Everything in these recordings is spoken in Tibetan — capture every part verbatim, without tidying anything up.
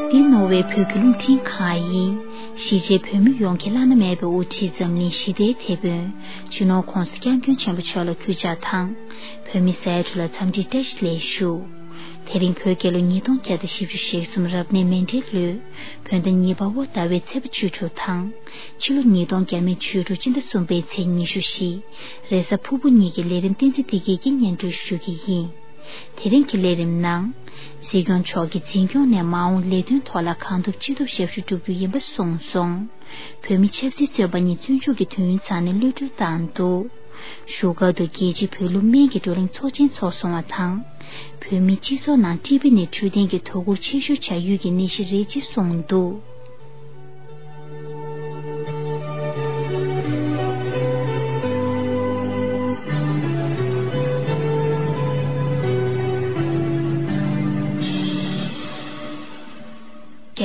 འདི་ནོར་ཝེ་བོད་ཀྱི་རླུང་འཕྲིན་ཁང་ཡིན། གཞིས་བྱེས་བོད་མི་ཡོངས་ཀྱི་བླ་ན་མེད་པའི་དབུ་ཁྲིད་འཛམ་གླིང་ཞི་བདེའི་དེད་དཔོན་སྤྱི་ནོར་༧གོང་ས་༧སྐྱབས་མགོན་ཆེན་པོ་མཆོག་ལ་གུས་ཕྱག་དང་། བོད་མི་སེར་ཁྲོད་ལ་འཚམས་འདྲིའི་བཀྲ་ཤིས་ལེགས་ཞུ། དེ་རིང་བོད་རྒྱལ་ལོ་ཉིས་སྟོང་བརྒྱ་དང་བཞི་བཅུ་ཞེ་གསུམ་རབ་གནས་མེ་འབྲེལ་ལོའི་བོད་ཟླ་གཉིས་པ་པོ་ཟླ་བའི་ཚེས་པ་བཅུ་དྲུག་དང་། ཕྱི་ལོ་ཉིས་སྟོང་བརྒྱ་མེད་བཅུ་དྲུག་སྤྱི་ཟླ་གསུམ་པའི་ཚེས་ཉི་ཤུ་བཞི། རེས་གཟའ་ཕུར་བུ་ཉིན་གྱི་ལས་རིམ་བསྟན་འཛིན་བདེ་སྐྱིད་ཀྱིས་སྙན་སྒྲོན་ཞུ་གི་ཡིན། དེ་རིང་གི་ལས་རིམ་ནང་། སྲིད་སྐྱོང་མཆོག་གི་འཛིན་སྐྱོང་ནས་མ་འོངས་ལས་དོན་ཐོག་ལ་གང་ཐུབ་ཅི་ཐུབ་ཞབས་ཞུ་བསྒྲུབ་རྒྱུ་ཡིན་པ་གསུངས་སོང་། བོད་མི་ཆབ་སྲིད་བཙོན་པ་གཉིས་བཙོན་འཇུག་གི་དུས་ཡུན་ཚང་ནས་གློད་གྲོལ་བཏང་འདུག་བཞུགས་སྒར་དུ་རྒྱལ་སྤྱིའི་བོད་ལུགས་སྨན་གྱི་བགྲོ་གླེང་ཚོགས་ཆེན་ཚོགས་སོང་བ་དང་། བོད་མིའི་སྤྱི་ཚོགས་ནང་ཊི་བི་ནི་འཕྲོད་བསྟེན་གྱི་དོ་ཁུར་ཆེ་ཤོས་བྱ་ཡུལ་གྱི་ནད་གཞི་རེད་ཅེས་གསུངས་འདུག་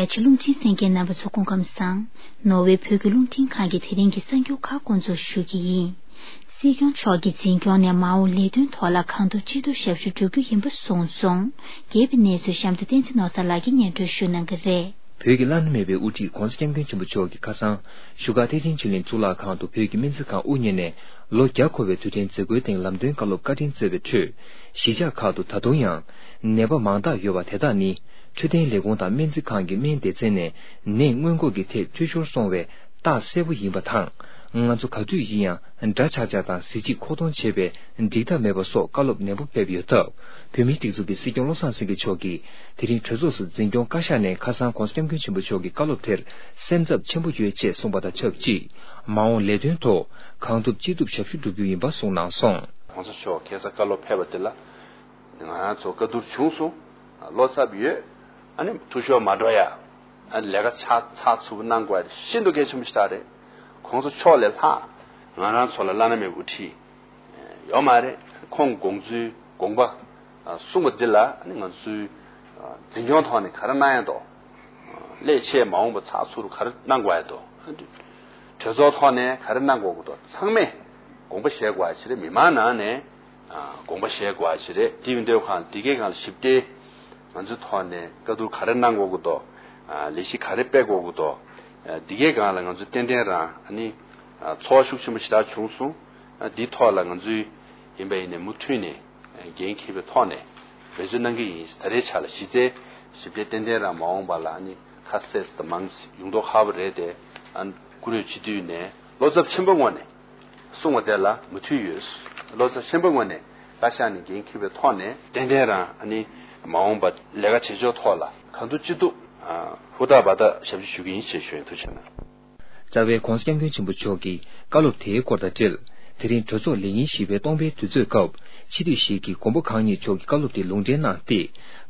རྒྱ་ཆེ་རླུང་འཕྲིན་གསན་མཁན་རྣམ་པ་ཚོ་སྐུ་ཁམས་བཟང་། ནོར་ཝེ་བོད་ཀྱི་རླུང་འཕྲིན་ཁང་གི་དེ་རིང་གི་གསར་འགྱུར་ཁག་སྐོང་ཚོགས་ཞུ་གི་ཡིན། སྲིད་སྐྱོང་མཆོག་གི་འཛིན་སྐྱོང་ནས་མ་འོངས་ལས་དོན་ཐོག་ལ་གང་ཐུབ་ཅི་ཐུབ་ཞབས་ཞུ་བསྒྲུབ་རྒྱུ་ཡིན་པ་གསུངས་སོང་། རྒྱས་པའི་གནས་ཚུལ་གཤམ་དུ་བསྟན་འཛིན་ནོར་བཟང་ལགས་ཀྱིས་སྙན་སྒྲོན་ཞུ་གནང་གི་རེད། བོད་ཀྱི་བླ་ན་མེད་པའི་དབུ་ཁྲིད་༧གོང་ས་༧སྐྱབས་མགོན་ཆེན་པོ་མཆོག་གིས་ཁ་སང་བཞུགས་སྒར་ཐེག་ཆེན་ཆོས་གླིང་གཙུག་ལག་ཁང་དུ་བོད་ཀྱི་སྨན་རྩིས་ཁང་དབུ་བརྙེས་ནས་ལོ་བརྒྱ་འཁོར་བའི་དུས་དྲན་མཛད་སྒོའི་སྟེང་ལམ་སྟོན་བཀའ་སློབ་བཀའ་དྲིན་སྩལ་བའི་ཁྲོད། གཞིས་ཆགས་ཁག་ཏུ་ད་དུང་ཡང་ནད་པ་མང་དག་ཡོད་པ་དེ་དག་ནི་འཕྲོད་བསྟེན་ལས་ཁུངས་དང་སྨན་རྩིས་ཁང་གི་སྨན་སྡེ་ཚན་ནས་ནད་སྔོན་འགོག་གི་ཐད་འཐུས་ཤོར་སོང་བའི་རྟགས་གསལ་པོ་ཡིན་པ་དང་། ང་ཚོ་ག་དུས་ཡིན་ཡང་འདྲ་ཆགས་ཆགས་དང་གཟི་བརྗིད་མཁོ་གཏོང་བྱེད་པའི་འགྲིག་ཐབས་མེད་པ་སོགས་བཀའ་སློབ་ནན་པོ་ཕེབས་ཡོད་སྟབས། བོད་མིའི་སྒྲིག་འཛུགས་ཀྱི་སྲིད་སྐྱོང་བློ་བཟང་སེང་གེ་མཆོག་གིས་དེ་རིང་གྲོས་ཚོགས་སུ་འཛིན་སྐྱོང་བཀའ་ཤག་ནས་ཁ་སང་༧གོང་ས་༧སྐྱབས་མགོན་ཆེན་པོ་མཆོག་གི་བཀའ་སློབ་དེར་སེམས་འཚབ་ཆེན་པོ་ཡོད་ཅེས་གསུངས་པ་དང་ཆབས་ཅིག་མ་འོངས་ལས་དོན་ཐོག་གང་ཐུབ་ཅི་ཐུབ་ཞབས་ཞུ་བསྒྲུབ་རྒྱུ་ཡིན་པ་གསུངས་གནང་སོང་། ༸གོང་ས་མཆོག་ཁ་སང་བཀའ་སློབ་ཕེབས་པ་དེ་ལ་ང་རང་ཚོ་བཀའ་བསྡུར་བྱུང་སོང་། བློ་འཚབ་ཡོད། ཨ་ནི་འཐུས་ཤོར་མ་འགྲོ་ཡ། ཨ་ནི་ལས་ཀ་ཚགས་ཚགས་ཚུད་པོ་གནང་དགོས་ཡ་ཤིན་ཏུ་གལ་ཆེན་པོ་ཞིག་རེད། ༸གོང་ས་མཆོག་ལས་ལྷག་ང་རང་ཚོ་ལ་བླ་ན་མེད་པའི་དབུ་ཁྲིད་ཡོད་མ་རེད། ཁོང་དགོངས་ཚུལ་དགོངས་པ་གསུངས་པ་འདི་ལ་ང་ཚོའི་འཛིན་སྐྱོང་ཐོག་ནས་ག་རེ་གནང་ཡ་འདུག་ལས་བྱེད་མ་འོངས་པ་ཚགས་ཚུད་ག་རེ་གནང་དགོས་ཡ་འདུག་གྲོས་ཚོགས་ཐོག་ནས་ག་རེ་གནང་དགོས་ཀྱི་འདུག་ཚང་མས་དགོངས་པ་བཞེས་དགོས་ཡ་ཞིག་རེད། མི་མང་ནང་ནས་དགོངས་པ་བཞེས་དགོས་ཡ་ཞིག་རེད། དེ་ཡིན་དུས་གང་འདི་གའི་སྒང་ལ་ཞིབ་ཕྲའི་ང་ཚོའི་ཐོག་ནས་བཀའ་བསྡུར་ག་རེ་གནང་དགོས་ཀྱི་འདུག་ལས་གཞི་ག་རེ་སྤེལ་དགོས་ཀྱི་འདུག་འདི་གའི་སྒང་ལ་ང་ཚོ་ཏན་ཏན་རང་ཨ་ནི་ཚོར་བ་ཤུགས་ཆེན་པོ་ཞེ་དྲག་བྱུང་སོང་། འདིའི་ཐོག་ལ་ང་ཚོའི་ཡིན་པ་ཡིན་ནའི་མུ་མཐུད་ནས་འགན་འཁྱེར་བའི་ཐོག་ནས་འབད་བརྩོན་གནང་གི་ཡིན། ད་རེས་ཆ་ལ་གཞི་རྩའི་ཞིབ་ཕྲའི་ཏན་ཏན་རང་མ་འོངས་པ་ལ་ཨ་ནི་ཁ་གསལ་དང་མང་ཡོང་མདོག་ཁ་པོ་རེད་དེ། ཨ་ནི་བཀུར་འོས་སྤྱི་འཐུས་ནས་བློ་འཚབ་ཆེན་པོའི་ངང་ནས་གསུངས་པ་དེ་ལ་མོས་མཐུན་ཡོད། བློ་འཚབ་ཆེན་པོའི་ངང་ནས་བཀའ་ཤག་ནས་འགན་འཁྱེར་བའི་ཐོག་ནས་ཏན་ཏན་རང་ཨ་ནི་མ་འོངས་པ་ལས་ཀ་བྱེད་ཕྱོགས་ཐོག་ལ་གང་ཐུབ་ཅི་ཐུབ་ཧུར་ཐག་འབད་ཐག་ཞབས་ཕྱི་ཞུ་གི་ཡིན་ཞེས་ཞུ་ཡིན། ཐུགས་རྗེ་གནང་། རྩ་བའི་༸གོང་ས་༸སྐྱབས་མགོན་ཆེན་པོ་མཆོག་གི་བཀའ་སློབ་དེའི་སྐོར་དང་འབྲེལ། དེ་རིང་གྲོས་ཚོགས་ལས་ཉིན་བཞི་པའི་སྟོང་པའི་དུས་ཚོད་སྐབས་སྤྱི་འཐུས་ཤིག་གིས་མགོན་པོ་གང་ཉིད་མཆོག་གི་བཀའ་སློབ་དེ་ལུང་འདྲེན་གནང་སྟེ།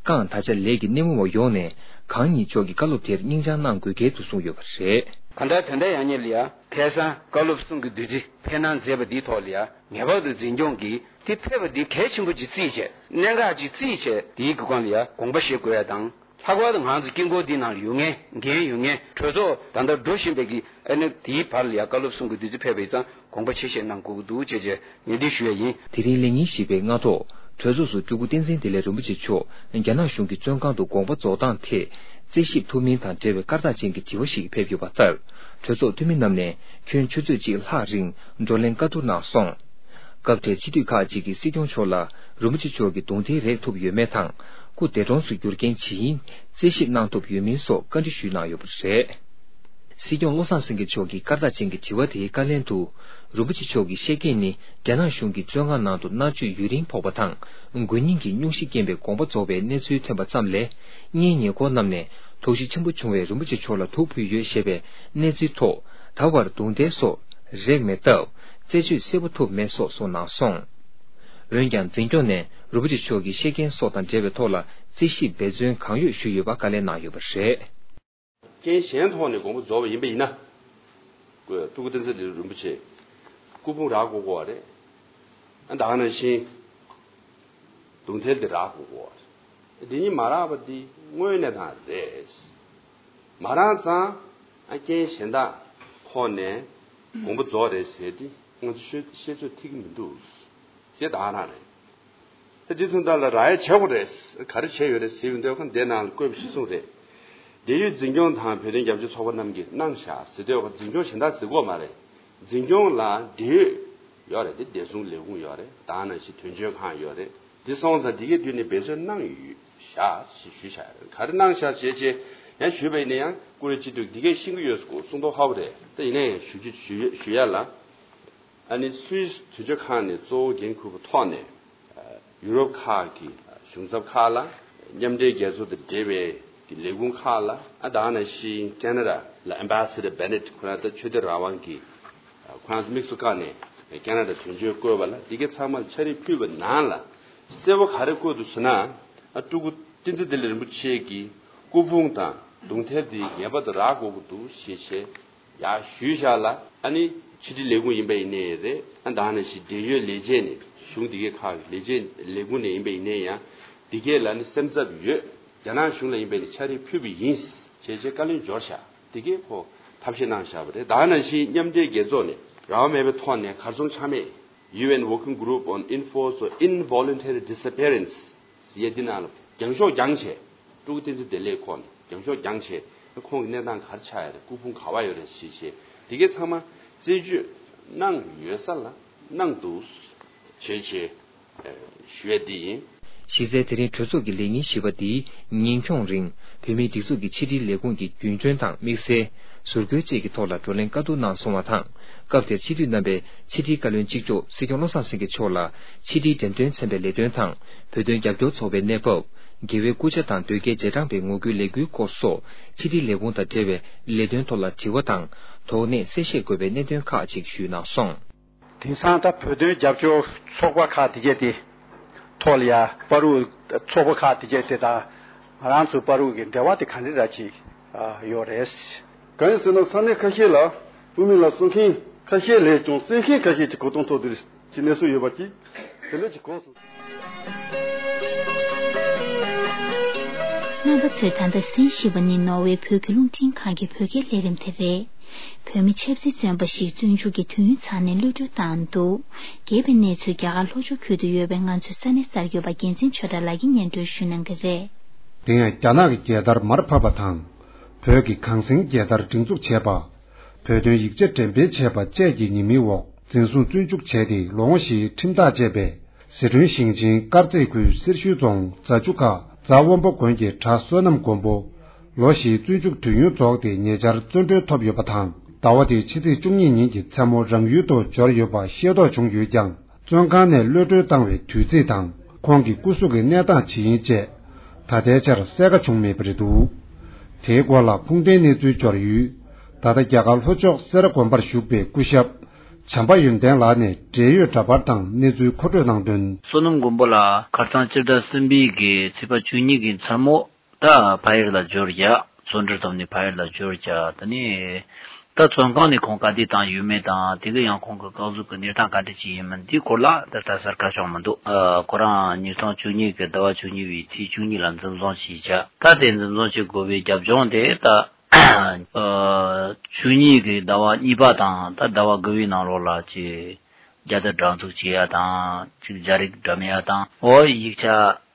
རྐང་ད་ཆ་ལས་ཀྱི་སྣེ་མོ་བ་ཡོངས་ནས་གང་ཉིད་མཆོག་གི་བཀའ་སློབ་དེར་སྙིང་བཅངས་གནང་དགོས་གལ་འདུག་གསུངས་ཡོད་པ་རེད། གང་ལྟར་དོན་དག་ཡག་ཉེས་ལ་ཡ་ཁ་སང་བཀའ་སློབ་གསུང་གི་བདུད་རྩི་འཕེན་གནང་མཛད་པ་འདིའི་ཐོག་ལ་ཡ་ངེས་པར་དུ་འཛིན་སྐྱོང་གིས་དེ་ཕེབས་པ་འདི་གལ་ཆེན་པོ་ཅིག་བརྩིས་བྱས། གནད་འགག་ཅིག་བརྩིས་བྱས། དེའི་སྒང་ལ་ཡ་དགོངས་པ་བཞེས་དགོས་ཡ་དང་། ལྷག་པར་དུ་ང་ཚོ་དཀྱིལ་འཁོར་འདི་ནང་ལ་ཡོད་མཁན། འགན་ཡོད་མཁན། གྲོས་ཚོགས་ད་ལྟ་འགྲོ་བཞིན་པའི་གི་ཨ་ནི་དེའི་བར་ལ་ཡ་བཀའ་སློབ་གསུང་གི་བདུད་རྩི་ཕེབས་པ་ཡིན་ཙང་དགོངས་པ་ཆེ་བཞེས་གནང་དགོས་ཀྱི་འདུག་ཅེས་བྱས་ངས་འདི་ཞུ་ཡ་ཡིན། དེ་རིང་ལས་ཉིན་བཞི་པའི་སྔ་ཐོག་གྲོས་ཚོགས་སུ་སྤྲུལ་སྐུ་བསྟན་འཛིན་བདེ་ལེགས་རིན་པོ་ཆེ་མཆོག་རྒྱ་ནག་གཞུང་གི་བཙོན་ཁང་དུ་དགོངས་པ་རྫོགས་སྟངས་ཐད་རྩད་ཞིབ་ཐུབ་མིན་དང་འབྲེལ་བའི་སྐར་རྟགས་ཅན་གྱི་དྲི་བ་ཞིག་ཕེབས་ཡོད་པ་ལྟར། གྲོས་ཚོགས་འཐུས་མི་རྣམས་ནས་ཁྱོན་ཆུ་ཚོད་གཅིག་ལྷག་རིང་བགྲོ་གླེང་བཀའ་བསྡུར་གནང་སོང་། སྐབས་དེར་སྤྱི་འཐུས་ཁག་ཅིག་གིས་སྲིད་སྐྱོང་མཆོག་ལ་རིན་པོ་ཆེ་མཆོག་གི་གདུང་མཐའི་རེག་ཐུབ་ཡོད་མེད་དང་། སྐུ་འདས་གྲོངས་སུ་གྱུར་རྐྱེན་ཇི་ཡིན་རྩད་ཞིབ་གནང་ཐུབ་ཡོད་མིན་སོགས་བཀའ་འདྲི་ཞུས་གནང་ཡོད་པ་རེད། སྲིད་སྐྱོང་བློ་བཟང་སེང་གེ་མཆོག་གི་སྐར་རྟགས་ཅན་གྱི་དྲི་བ་དེའི་བཀའ་ལན་དུ། རིན་པོ་ཆེ་མཆོག་གིས་བཤད་རྐྱེན་ནི་རྒྱ་ནག་གཞུང་གི་བཙོན་ཁང་ནང་དུ་མནར་གཅོད་ཡུན་རིང་ཕོག་པ་དང་། དགོས་ཉེན་གྱི་སྙུང་གཞི་རྐྱེན་པས་དགོངས་པ་རྫོགས་པའི་གནས་ཚུལ་ཐོན་པ་ཙམ་ལས། སྔོན་ཉེ་འཁོར་རྣམས་ནས་དོགས་གཞི་ཆེན་པོ་བྱུང་བའི་རིན་པོ་ཆེ་མཆོག་ལ་དུག་ཕུལ་ཡོད་ཞེས་པའི་གནས་ཚུལ་ཐོག་ད་བར་རྡུང་རྡེག་སོགས་རེག་མེད་སྟབས། རྩད་གཅོད་གསལ་པོ་ཐུབ་མེད་སོགས་གསུངས་གནང་སོང་། འོན་ཀྱང་། འཛིན་སྐྱོང་ནས་རིན་པོ་ཆེ་མཆོག་གི་བཤད་རྐྱེན་སོགས་དང་འབྲེལ་བའི་ཐོག་ལ་རྩད་ཞིབ་འབད་བརྩོན་གང་ཡོད་ཞུས་ཡོད་པ་བཀའ་ལན་གནང་ཡོད་པ་རེད། རྐྱེན་གཞན་ཐོག་ནས་དགོངས་པ་རྫོགས་པ་ཡིན་པ་ཡིན་ན། སྤྲུལ་སྐུ་བསྟན་འཛིན་བདེ་ལེགས་རིན་པོ་ཆེ་སྐུ་ཕུང་རག་དགོས་ཀྱི་ཡོད་རེད། ཨ་ད་ག་ནང་བཞིན་གདུང་མཐའ་དེ་རག་དགོས་ཀྱི་ཡོད་རེད། འདི་གཉིས་མ་རག་པ་འདི་དངོས་གནས་དྲང་རེད། མ་རག་ཙང་ཨ་རྐྱེན་གཞན་དག་ཐོག་ནས་དགོངས་པ་རྫོགས་རེད་ཟེར་ཏེ་ང་ཚོ་བཤད་བཤད་ཚོད་ཐིག་གི་མི་འདུག་ཅེས་ད་ག་རང་རེད། ད་འདི་ཐུན་ཐང་ལ་རག་ཡ་བྱེད་དགོས་རེད། ག་རེ་བྱས་ཡོད་རེད་ཟེར་བའི་འདོད་ཁ་འདི་ནང་ལ་བཀོད་པ་གཞིར་བཟུང་རེད། འབྲེལ་ཡོད་འཛིན་སྐྱོང་དང་བོད་དོན་རྒྱབ་སྐྱོར་ཚོགས་པ་རྣམས་ཀྱིས་གནང་བཞག་ཟེར་དུས། འཛིན་སྐྱོང་གཞན་དག་ཟེར་གྱི་ཡོད་མ་རེད། འཛིན་སྐྱོང་ལ་འབྲེལ་ཡོད་ཡོད་རེད་དེ། བདེ་སྲུང་ལས་ཁུངས་ཡོད་རེད། ད་ག་ནང་བཞིན་དོན་གཅོད་ཁང་ཡོད་རེད། དེ་སོང་ཙང་འདི་གའི་མདུན་ནས་འབད་བརྩོན་གནང་ཡོད་བཞག་ཞེས་ཞུས་བཞག་ཡོད་རེད། ག་རེ་གནང་བཞག་ཞེས་བྱས་ཡང་ཞུས་པ་ཡིན་ན། ཡང་ཀུ་རེ་སྤྱི་འཐུས་འདི་གས་ཤེས་ཀྱི་ཡོད་སྐོར་གསུང་མདོག་ཁ་པོ་རེད། ད་ཡིན་ན་ཡང་ཞུ་རྒྱུ་ཞུ་ཡ་ལ། ཨ་ནི་སུད་སི་དོན་གཅོད་ཁང་ནས་གཙོ་བོ་འགན་འཁུར་བའི་ཐོག་ནས། ཡུ་རོབ་ཁག་གི་གཞུང་ཚབ་ཁག་ལ། མཉམ་འབྲེལ་རྒྱལ་ཚོགས་དང་འབྲེལ་བའི་ལས་ཁུངས་ཁག་ལ། ཨ་ད་ག་ནང་བཞིན་ཁེ་ན་ཌ་ལ་ཨེམ་བྷ་སེ་ཌར་བྷེ་ནེཊ་ཁོ་རང་ད་ཆོས་དད་རང་དབང་གི་ཁོ་རང་ཚོ་དམིགས་སུ་བཀར་ནས་ཁེ་ན་ཌ་དོན་གཅོད་བསྐོས་པ་ལ། འདི་གའི་ཚང་མ་ལ་ཕྱག་བྲིས་ཕུལ་བའི་ནང་ལ། གསལ་པོ་ག་རེ་བཀོད་འདུག་ཟེར་ན། ཨ་སྤྲུལ་སྐུ་བསྟན་འཛིན་བདེ་ལེགས་རིན་པོ་ཆེ་གི་སྐུ་ཕུང་དང་གདུང་ཐལ་དེ་ངེས་པར་དུ་རག་དགོས་ཀྱི་འདུག་ཞེས་བྱས། ཡར་ཞུས་བཞག་ལ། ཨ་ནི་ཕྱི་དྲིལ་ལས་ཁུངས་ཡིན་པ་ཡིན་ནའི་རེད། ཨ་ད་ག་ནང་བཞིན་འབྲེལ་ཡོད་ལས་བྱེད་ནས། གཞུང་འདི་གའི་ཁག་གི་ལས་བྱེད་ལས་ཁུངས་ནས་ཡིན་པ་ཡིན་ནའི་ཡང་འདི་གའི་ལ་ནི་སེམས་འཚབ་ཡོད། རྒྱ་ནག་གཞུང་ལ་ཡིན་པ་ཡིན་ནའི་ཕྱག་བྲིས་ཕུལ་བ་ཡིན་ཞེས་བྱས་བཀའ་ལན་འབྱོར་བཞག་འདི་གའི་ཁོ་ཐབས་ཤེས་གནང་བཞག་པ་རེད། ད་ག་ནང་བཞིན་མཉམ་འབྲེལ་རྒྱལ་ཚོགས་ནས་རང་དབང་མེད་པའི་ཐོག་ནས་གར་སོང་ཆ་མེད། ཡུ་ཨེན་Working Group on Enforced Involuntary Disappearance ཟེར་ཡ་འདི་ནང་ལ་རྒྱང་ཤོག་རྒྱང་བྱས། སྤྲུལ་སྐུ་བསྟན་འཛིན་བདེ་ལེགས་ཁོ་ནས་རྒྱང་ཤོག་རྒྱང་བྱས། ཁོང་གི་གནས་སྟངས་ག་རེ་ཆགས་ཡོད་རེད། སྐུ་ཕུང་ག་པར་ཡོད་རེད་ཞེས་བྱས། འདི་གའི་ཚང་མ་རྩད་གཅོད་གནང་ཡོད་ས་ལ་གནང་འདུག་ཞེས་བྱས་ཞུ་ཡ་འདི་ཡིན། གཞི་རྩའི་དེ་རིང་གྲོས་ཚོགས་ཀྱི་ལས་ཉིན་བཞི་པ་འདིའི་ཉིན་ཁྱོངས་རིང་། བོད་མིའི་སྒྲིག་འཛུགས་ཀྱི་ཕྱི་དྲིལ་ལས་ཁུངས་ཀྱི་རྒྱུན་གྲོན་དང་དམིགས་བསལ་ཟུར་བཀོལ་བཅས་ཀྱི་ཐོག་ལ་བགྲོ་གླེང་བཀའ་བསྡུར་གནང་སོང་བ་དང་། སྐབས་དེར་སྤྱི་འཐུས་རྣམ་པས་ཕྱི་དྲིལ་བཀའ་བློན་གཅིག་ལྕོགས་སྲིད་སྐྱོང་བློ་བཟང་སེང་གེ་མཆོག་ལ་ཕྱི་དྲིལ་འགྲེམས་སྟོན་ཚན་པའི་ལས་དོན་དང་། བོད་དོན་རྒྱབ་སྐྱོར་ཚོགས་པའི་གནས་བབ། རྒྱལ་བའི་སྐུ་ཕྱྭ་དང་དོལ་རྒྱལ་རྗེས་འབྲང་པའི་ངོ་རྒོལ་ལས་འགུལ་སྐོར་སོགས་ཕྱི་དྲིལ་ལས་ཁུངས་དང་འབྲེལ་བའི་ལས་དོན་ཐོག་ལ་དྲི་བ་དང་། དོགས་གནད་གསལ་བཤད་དགོས་པའི་གནད་དོན་ཁག་ཅིག་ཞུས་གནང་སོང་། དེང་སང་ད་བོད་དོན་རྒྱབ་སྐྱོར་ཚོགས་པ་ཁག་དེ་གས་དེ་ཐོག་ལ་ཡ་བར་དུ་ཚོགས་པ་ཁག་དེ་གས་དེ་དང་ང་རང་ཚོ་བར་དུ་གི་འབྲེལ་བ་དེ་ག་འདྲ་ར་ཅིག་ཡོད་རེད། གང་ཡིན་ཟེར་ན་ས་གནས་ཁ་ཤས་ལ་དབུ་མའི་ལམ་གསུང་མཁན་ཁ་ཤས་ལས་ཀྱང་གསན་མཁན་ཁ་ཤས་ཀྱི་གོ་སྟངས་ཐོག་དེ་ཀྱི་གནས་ཚུལ་ཡོད་པ་ཅིག་དེ་འདྲ་ཅིག་གོ་སོང་། རྣམ་པ་ཚོས་ད་ལྟ་གསན་བཞིན་པ་ནི་ནོར་ཝེ་བོད་ཀྱི་རླུང་འཕྲིན་ཁང་གི་བོད་སྐད་ལས་རིམ་དེ་རེད། བོད་མི་ཆབ་སྲིད་བཙོན་པ་ཞིག་བཙོན་འཇུག་གི་དུས་ཡུན་ཚང་ནས་གློད་གྲོལ་བཏང་འདུག་རྒྱས་པའི་གནས་ཚུལ་རྒྱ་གར་ལྷོ་ཕྱོགས་ཁུལ་དུ་ཡོད་པའི་ང་ཚོའི་ས་གནས་གསར་འགོད་པ་རྒྱལ་མཚན་ཆོས་གྲགས་ལགས་ཀྱིས་སྙན་སྒྲོན་ཞུ་གནང་གི་རེད། དེ་ཡང་རྒྱ་ནག་གི་རྒྱལ་དར་མར་ཕབ་པ་དང་། བོད་ཀྱི་གངས་སེང་རྒྱལ་དར་སྒྲེང་འཛུགས་བྱས་པ། བོད་དོན་ཡིག་ཆ་འགྲེམས་སྤེལ་བྱས་པ་བཅས་ཀྱི་ཉེས་མིང་འོག་འཛིན་བཟུང་བཙོན་འཇུག་བྱས་ཏེ་ལོ་ངོ་བཞིའི་ཁྲིམས་ཐག་བཅད་པའི་ཟི་ཁྲོན་ཞིང་ཆེན་དཀར་མཛེས་ཁུལ་སེར་ཤུལ་རྫོང་རྫ་ཆུ་ཁ་རྫ་དབོན་པོ་དགོན་གྱི་གྲྭ་བསོད་ནམས་མགོན་པོ། ལོ་བཞིའི་བཙོན་འཇུག་དུས་ཡུན་རྫོགས་ཏེ་ཉེ་ཆར་བཙོན་གྲོལ་ཐོབ་ཡོད་པ་དང་། ཟླ་བ་འདིའི་ཕྱི་ཚེས་བཅུ་གཉིས་ཉིན་གྱི་མཚན་མོ་རང་ཡུལ་དུ་འབྱོར་ཡོད་པ་ཤེས་རྟོགས་བྱུང་ཡོད་ཀྱང་། བཙོན་ཁང་ནས་གློད་གྲོལ་བཏང་བའི་དུས་ཚིགས་དང་། ཁོང་གི་སྐུ་གཟུགས་ཀྱི་གནས་སྟངས་ཇི་ཡིན་བཅས། ད་ལྟའི་ཆར་གསལ་ཁ་བྱུང་མེད་པ་རེད་འདུག་དེའི་སྐོར་ལ་ཁུངས་ལྡན་གནས་ཚུལ་འབྱོར་ཡུལ། ད་ལྟ་རྒྱ་གར་ལྷོ་ཕྱོགས་སེ་ར་དགོན་པར་བཞུགས་པའི་སྐུ་ཞབས། བྱམས་པ་ཡོན་ཏན་ལགས་ནས་འབྲེལ་ཡོད་འདྲ་པར་དང་གནས་ཚུལ་མཁོ་སྤྲོད་གནང་དོན། བསོད་ནམས་མགོན་པོ་ལགས་ཁ་སང་སྤྱི་ཟླ་གསུམ་པའི་གི་ཚེས་པ་བཅུ་གཉིས་ཀྱི་མཚན་མོ། ད་ཕ་ཡུལ་ལ་འབྱོར་ཡ། བཙོན་གྲོལ་ཐོབ་ནས་ཕ་ཡུལ་ལ་འབྱོར་ཡ། ད་ནི་ད་བཙོན་ཁང་ནས་ཁོང་ག་དུས་བཏང་ཡོད་མེད་དང་། དེ་གི་ཡང་ཁོང་གི་སྐུ་གཟུགས་ཀྱི་གནས་སྟངས་ག་འདྲ་ཅིག་ཡིན་མིན་དེའི་སྐོར་ལ་ད་ལྟ་གསལ་ཁ་བྱུང་མི་འདུག་ཨ། ཁོ་རང་ཉིས་སྟོང་བཅུ་གཉིས་ཀྱི་ཟླ་བ་བཅུ་གཉིས་པའི་ཚེས་བཅུ་གཉིས་ལ་འཛིན་བཟུང་བྱས་བྱ། ད་དེ་འཛིན་བཟུང་བྱེད་དགོས་པའི་རྒྱབ་ལྗོངས་དེ་ད་ཨ། བཅུ་གཉིས་ཀྱི་ཟླ་བ་གཉིས་པ་དང་ད་ཟླ་བ་དགུ་པའི་ནང་ལོགས་ལ་ཅིག་རྒྱལ་དར་སྒྲེང་འཛུགས་བྱེད་ཡ་དང་། ཅིག་རྒྱ་རིགས་འགྲེམས་ཡ་དང་། འོ་ཡིག་ཆ་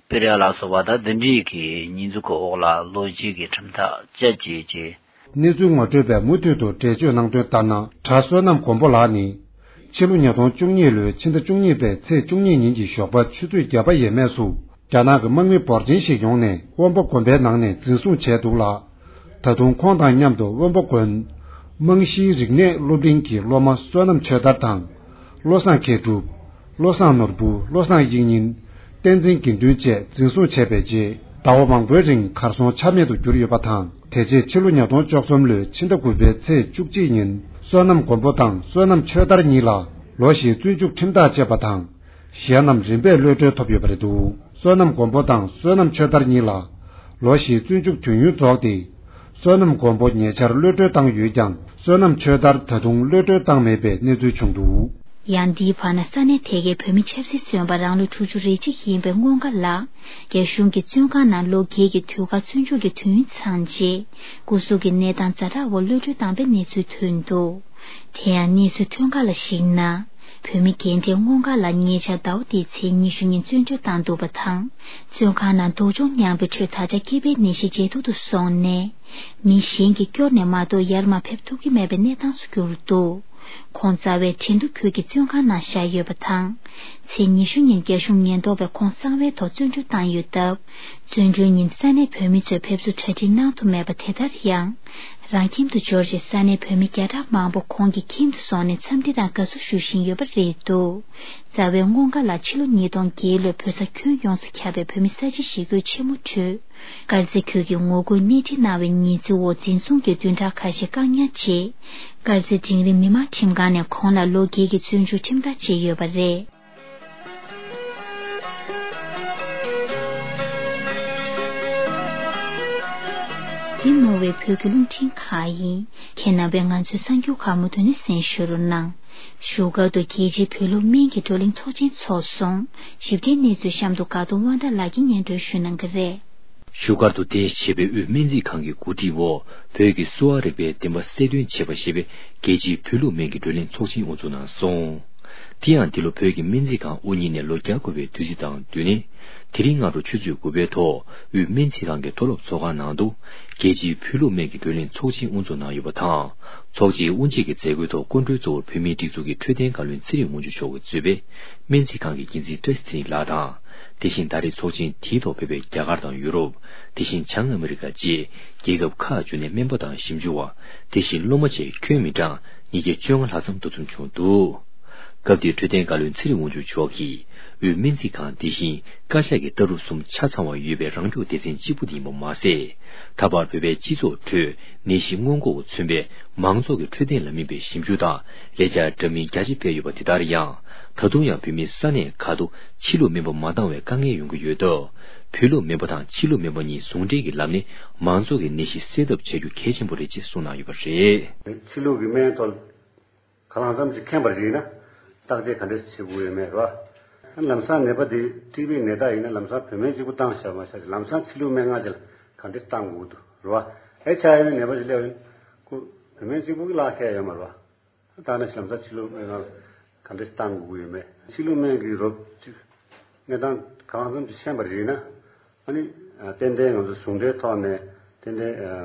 སྤེལ་ཡ་ལ་སོགས་པ་དང་། འདི་འདྲའི་གི་ཉེས་འཛུགས་ཀྱི་འོག་ལ་ལོ་བརྒྱད་ཀྱི་ཁྲིམས་ཐག་བཅད་བྱས་བྱས། གནས་ཚུལ་ངོ་སྤྲོད་པས་མུ་མཐུད་དུ་འགྲེལ་བརྗོད་གནང་དོན་ལྟར་ན། གྲྭ་བསོད་ནམས་མགོན་པོ་ལགས་ནི། ཕྱི་ལོ་ཉིས་སྟོང་བཅུ་གཉིས་ལོའི་ཕྱི་ཟླ་བཅུ་གཉིས་པའི་ཚེས་བཅུ་གཉིས་ཉིན་གྱི་ཞོགས་པ་ཆུ་ཚོད་བརྒྱད་པ་ཡས་མས་སུ། རྒྱ་ནག་གི་དམག་མི་འབོར་ཆེན་ཞིག་ཡོང་ནས་དབོན་པོ་དགོན་པའི་ནང་ནས་འཛིན་བཟུང་བྱས་འདུག་ལ། ད་དུང་ཁོང་དང་མཉམ་དུ་དབོན་པོ་དགོན། རྨང་གཞིའི་རིག་གནས་སློབ་གླིང་གི་སློབ་མ་བསོད་ནམས་ཆོས་དར་དང་། བློ་བཟང་མཁས་གྲུབ། བློ་བཟང་ནོར་བུ། བློ་བཟང་དབྱིག་གཉེན། བསྟན་འཛིན་དགེ་འདུན་བཅས་འཛིན་བཟུང་བྱས་པའི་རྗེས། ཟླ་བ་མང་པོའི་རིང་གར་སོང་ཆ་མེད་དུ་གྱུར་ཡོད་པ་དང་། དེ་རྗེས་ཕྱི་ལོ་ཉིས་སྟོང་བཅུ་གསུམ་ལོའི་ཕྱི་ཟླ་དགུ་པའི་ཚེས་བཅུ་གཅིག་ཉིན། བསོད་ནམས་མགོན་པོ་དང་བསོད་ནམས་ཆོས་དར་གཉིས་ལ་ལོ་བཞིའི་བཙོན་འཇུག་ཁྲིམས་ཐག་བཅད་པ་དང་། གཞན་རྣམས་རིམ་པས་གློད་གྲོལ་ཐོབ་ཡོད་པ་རེད་འདུག་བསོད་ནམས་མགོན་པོ་དང་བསོད་ནམས་ཆོས་དར་གཉིས་ལ་ལོ་བཞིའི་བཙོན་འཇུག་དུས་ཡུན་རྫོགས་ཏེ། བསོད་ནམས་མགོན་པོ་ཉེ་ཆར་གློད་གྲོལ་བཏང་ཡོད་ཀྱང་། བསོད་ནམས་ཆོས་དར་ད་དུང་གློད་གྲོལ་བཏང་མེད་པའི་གནས་ཚུལ་བྱུང་འདུག་ཡང་འདིའི་བར་ན་ས་གནས་དེ་གའི་བོད་མི་ཆབ་སྲིད་བཙོན་པ་རང་ལོ་དྲུག་ཅུ་རེ་གཅིག་ཡིན་པའི་སྔོན་ཁ་ལ། རྒྱ་གཞུང་གིས་བཙོན་ཁང་ནང་ལོ་བརྒྱད་ཀྱི་དུས་བཀག་བཙོན་འཇུག་གི་དུས་ཡུན་ཚང་རྗེས། སྐུ་གཟུགས་ཀྱི་གནས་སྟངས་ཛ་དྲག་འོག་གློད་གྲོལ་བཏང་པའི་གནས་ཚུལ་ཐོན་འདུག་དེ་ཡང་གནས་ཚུལ་ཐོན་ཁག་ལ་གཞིགས་ན། བོད་མི་རྒན་གྲས་སྔོན་འགོག་ལ་ཉེ་ཆར་ཟླ་བ་འདིའི་ཚེས་ཉི་ཤུ་ཉིན་བཙོན་གྲོལ་བཏང་འདུག་པ་དང་། བཙོན་ཁང་ནང་སྡུག་སྦྱོང་མྱངས་པའི་ཁྲོད་ད་ཆ་སྐྱེས་པའི་ནད་གཞི་ཇེ་སྡུག་ཏུ་སོང་ནས། མི་གཞན་གྱིས་སྐྱོར་ནས་མ་གཏོགས་ཡར་མར་ཕེབས་ཐུབ་ཀྱི་མེད་པའི་གནས་སྟངས་སུ་གྱུར་འདུག། ཁོང་རྩ་བའི་ཁྲིན་ཏུ་ཁུལ་གྱི་བཙོན་ཁང་ནང་བཞག་ཡོད་པ་དང་། ཚེས་ཉི་ཤུ་ཉིན་རྒྱ་གཞུང་ཉེན་རྟོག་པས་ཁོང་གསང་བའི་ཐོག་བཙོན་གྲོལ་བཏང་ཡོད་སྟབས། བཙོན་གྲོལ་ཉིན་ས་གནས་བོད་མི་ཚོས་ཕེབས་བསུ་གྲ་སྒྲིག་གནང་ཐུབ་མེད་པ་དེ་ལྟར་ཡང་། རང་ཁྱིམ་དུ་འབྱོར་རྗེས་ས་གནས་བོད་མི་བརྒྱ་ཕྲག་མང་པོ་ཁོང་གི་ཁྱིམ་དུ་སོང་ནས་འཚམས་འདྲི་དང་དགའ་བསུ་ཞུ་བཞིན་ཡོད་པ་རེད་འདུག། རྩ་བའི་སྔོན་འགོག་ལ་ཕྱི་ལོ་ཉིས་སྟོང་བརྒྱད་ལོའི་བོད་ས་ཁྱོན་ཡོངས་སུ་ཁྱབ་པའི་བོད་མི་ས་བྱི་ཞི་རྒོལ་ཆེན་མོ་ཁྲོད། དཀར་མཛེས་ཁུལ་གྱི་ངོ་རྒོལ་སྣེ་ཁྲིད་གནང་བའི་ཉེས་འཛུགས་འོག་འཛིན་བཟུང་གིས་བདུན་ཕྲག་ཁ་ཤས་བཀག་ཉར་རྗེས། དཀར་མཛེས་འབྲིང་རིམ་མི་དམངས་ཁྲིམས་ཁང་ནས་ཁོང་ལ་ལོ་བརྒྱད་ཀྱི་བཙོན་འཇུག་ཁྲིམས་ཐག་བཅད་ཡོད་པ་རེད། འདི་ནོར་ཝེ་བོད་ཀྱི་རླུང་འཕྲིན་ཁང་ཡིན། ཁྱེད་རྣམ་པས་ང་ཚོའི་གསར་འགྱུར་ཁག་མུ་མཐུད་ནས་གསན་ཞུ་རོགས་གནང་། བཞུགས་སྒར་དུ་རྒྱལ་སྤྱིའི་བོད་སློབ་སྨན་གྱི་བགྲོ་གླེང་ཚོགས་ཆེན་འཚོགས་སོང་། ཞིབ་ཕྲའི་གནས་ཚུལ་གཤམ་དུ་དགའ་གདོང་དབང་ཐང་ལགས་ཀྱིས་སྙན་སྒྲོན་ཞུ་གནང་གི་རེད། བཞུགས་སྒར་དུ་རྟེན་གཞི་བྱས་པའི་དབུས་སྨན་རྩིས་ཁང་གི་གོ་སྒྲིག་འོག་བོད་ཀྱི་གསོ་བ་རིག་པའི་བདེན་པ་གསལ་སྟོན་བྱེད་པ་ཞེས་པའི་རྒྱལ་སྤྱིའི་བོད་ལུགས་སྨན་གྱི་བགྲོ་གླེང་ཚོགས་ཆེན་དབུ་འཛུགས་གནང་སོང་། དེ་ཡང་འདི་ལོ་བོད་ཀྱི་སྨན་རྩིས་ཁང་དབུ་བརྙེས་ནས་ལོ་བརྒྱ་འཁོར་བའི་དུས་ཚིགས་དང་བསྟུན་ནས། དེ་རིང་སྔ་དྲོ་ཆུ་ཚོད་དགུ་པའི་ཐོག་དབུས་སྨན་རྩིས་ཁང་གི་མཐོ་སློབ་ཚོགས་ཁང་ནང་དུ། རྒྱལ་སྤྱིའི་བོད་ལུགས་སྨན་གྱི་བགྲོ་གླེང་ཚོགས་ཆེན་དབུ་འཛུགས་གནང་ཡོད་པ་དང་། ཚོགས་ཆེན་དབུ་འབྱེད་ཀྱི་མཛད་སྒོའི་ཐོག་སྐུ་མགྲོན་གཙོ་བོར་བོད་མིའི་སྒྲིག་འཛུགས་ཀྱི་འཕྲོད་བསྟེན་བཀའ་བློན་ཚེ་རིང་དབང་ཕྱུག་མཆོག་གིས་གཙོས་པའི་སྨན་རྩིས་ཁང་གི་འགན་འཛིན་བཀྲ་ཤིས་ཚེ་རིང་ལགས་དང་། དེ་བཞིན་ད་རེས་ཚོགས་ཆེན་དེའི་ཐོག་ཕེབས་པའི་རྒྱ་གར་དང་ཡུ་རོབ། དེ་བཞིན་བྱང་ཨ་མི་རི་ཀ་བཅས་རྒྱལ་ཁབ་ཁག་བཅུ་ནས་སྨན་པ་དང་ཞིབ་འཇུག་པ། དེ་བཞིན་སློབ་མ་བཅས་ཁྱོན་མི་གྲངས་ཉིས་བརྒྱ་བཅོ་ལྔ་ལྷག་ཙམ་འདུ་འཛོམས་བྱུང་འདུག། སྐབས་དེར་འཕྲོད་བསྟེན་བཀའ་བློན་ཚེ་རིང་དབང་ཕྱུག་མཆོག་གིས། དབུས་སྨན་རྩིས་ཁང་འདི་བཞིན་བཀའ་ཤག་གི་ལྟ་གྲུབ་གསུམ་ཆ་ཚང་བ་ཡོད་པའི་རང་སྐྱོང་སྡེ་ཚན་གཅིག་པུ་དེ་ཡིན་པ་མ་ཟད། ད་བར་བོད་པའི་སྤྱི་ཚོགས་ཁྲོད་ནད་གཞི་སྔོན་འགོག་གིས་མཚོན་པའི་མང་ཚོགས་ཀྱི་འཕྲོད་བསྟེན་ལ་དམིགས་པའི་ཞིབ་འཇུག་དང་ལས་འཆར་འདྲ་མིན་རྒྱ་ཆེ་སྤེལ་ཡོད་པ་དེ་ལྟར་ཡང་། ད་དུང་ཡང་བོད་མིའི་ས་གནས་ཁག་ཏུ་ཕྱི་ལུགས་སྨན་པ་མ་འདང་བའི་དཀའ་ངལ་ཡོང་གི་ཡོད་སྟབས། བོད་ལུགས་སྨན་པ་དང་ཕྱི་ལུགས་སྨན་པ་གཉིས་ཟུང་འབྲེལ་གྱི་ལམ་ནས་མང་ཚོགས་ཀྱི་ནད་གཞི་སེལ་ཐབས་བྱ་རྒྱུ་གལ་ཆེན་པོ་རེད་ཅེས་གསུངས་གནང་ཡོད་པ་རེད། ཕྱི་ལུགས་ཀྱི་སྨན་ཐོག་གང་ལ་ཙམ་ཅིག་མཁྱེན་པར་བྱས་ན། བརྟག་དཔྱད་ག་འདྲས་བྱེད་དགོས་ཡོད་མེད་རེད་བ། ལམ་སང་ནད་པ་དེ་ཊི་བི་ནད་རྟགས་ཡིན་ན་ལམ་སང་བོད་སྨན་གཅིག་པུ་བཏང་བཞག་མ་བཞག་ལམ་སང་ཕྱི་ལུགས་སྨན་ཁང་ཅིག་ལ་ག་འདྲས་བཏང་དགོས་འདུག་རེད་བ། ཨེཆ་ཨའི་ཝི་ནད་པ་ཅིག་སླེབས་ཡིན། ཁོ་བོད་སྨན་གཅིག་པུ་གི་ལག་ཁེལ་ཡོད་མ་རེད་བ། ད་ནི་ལམ་སང་ཕྱི་ལུགས་སྨན་ཁང་ག་འདྲས་བཏང་དགོས་ཡོད་མེད། ཕྱི་ལུགས་སྨན་གྱི་རོབ་ཅིག་གནས་སྟངས་གང་ཙམ་ཅིག་ཤེས་པར་བྱས་ན། ཨ་ནི། ཏན་ཏན་ང་ཚོ་ཟུང་འབྲེལ་ཐོག་ནས་ཏན་ཏན་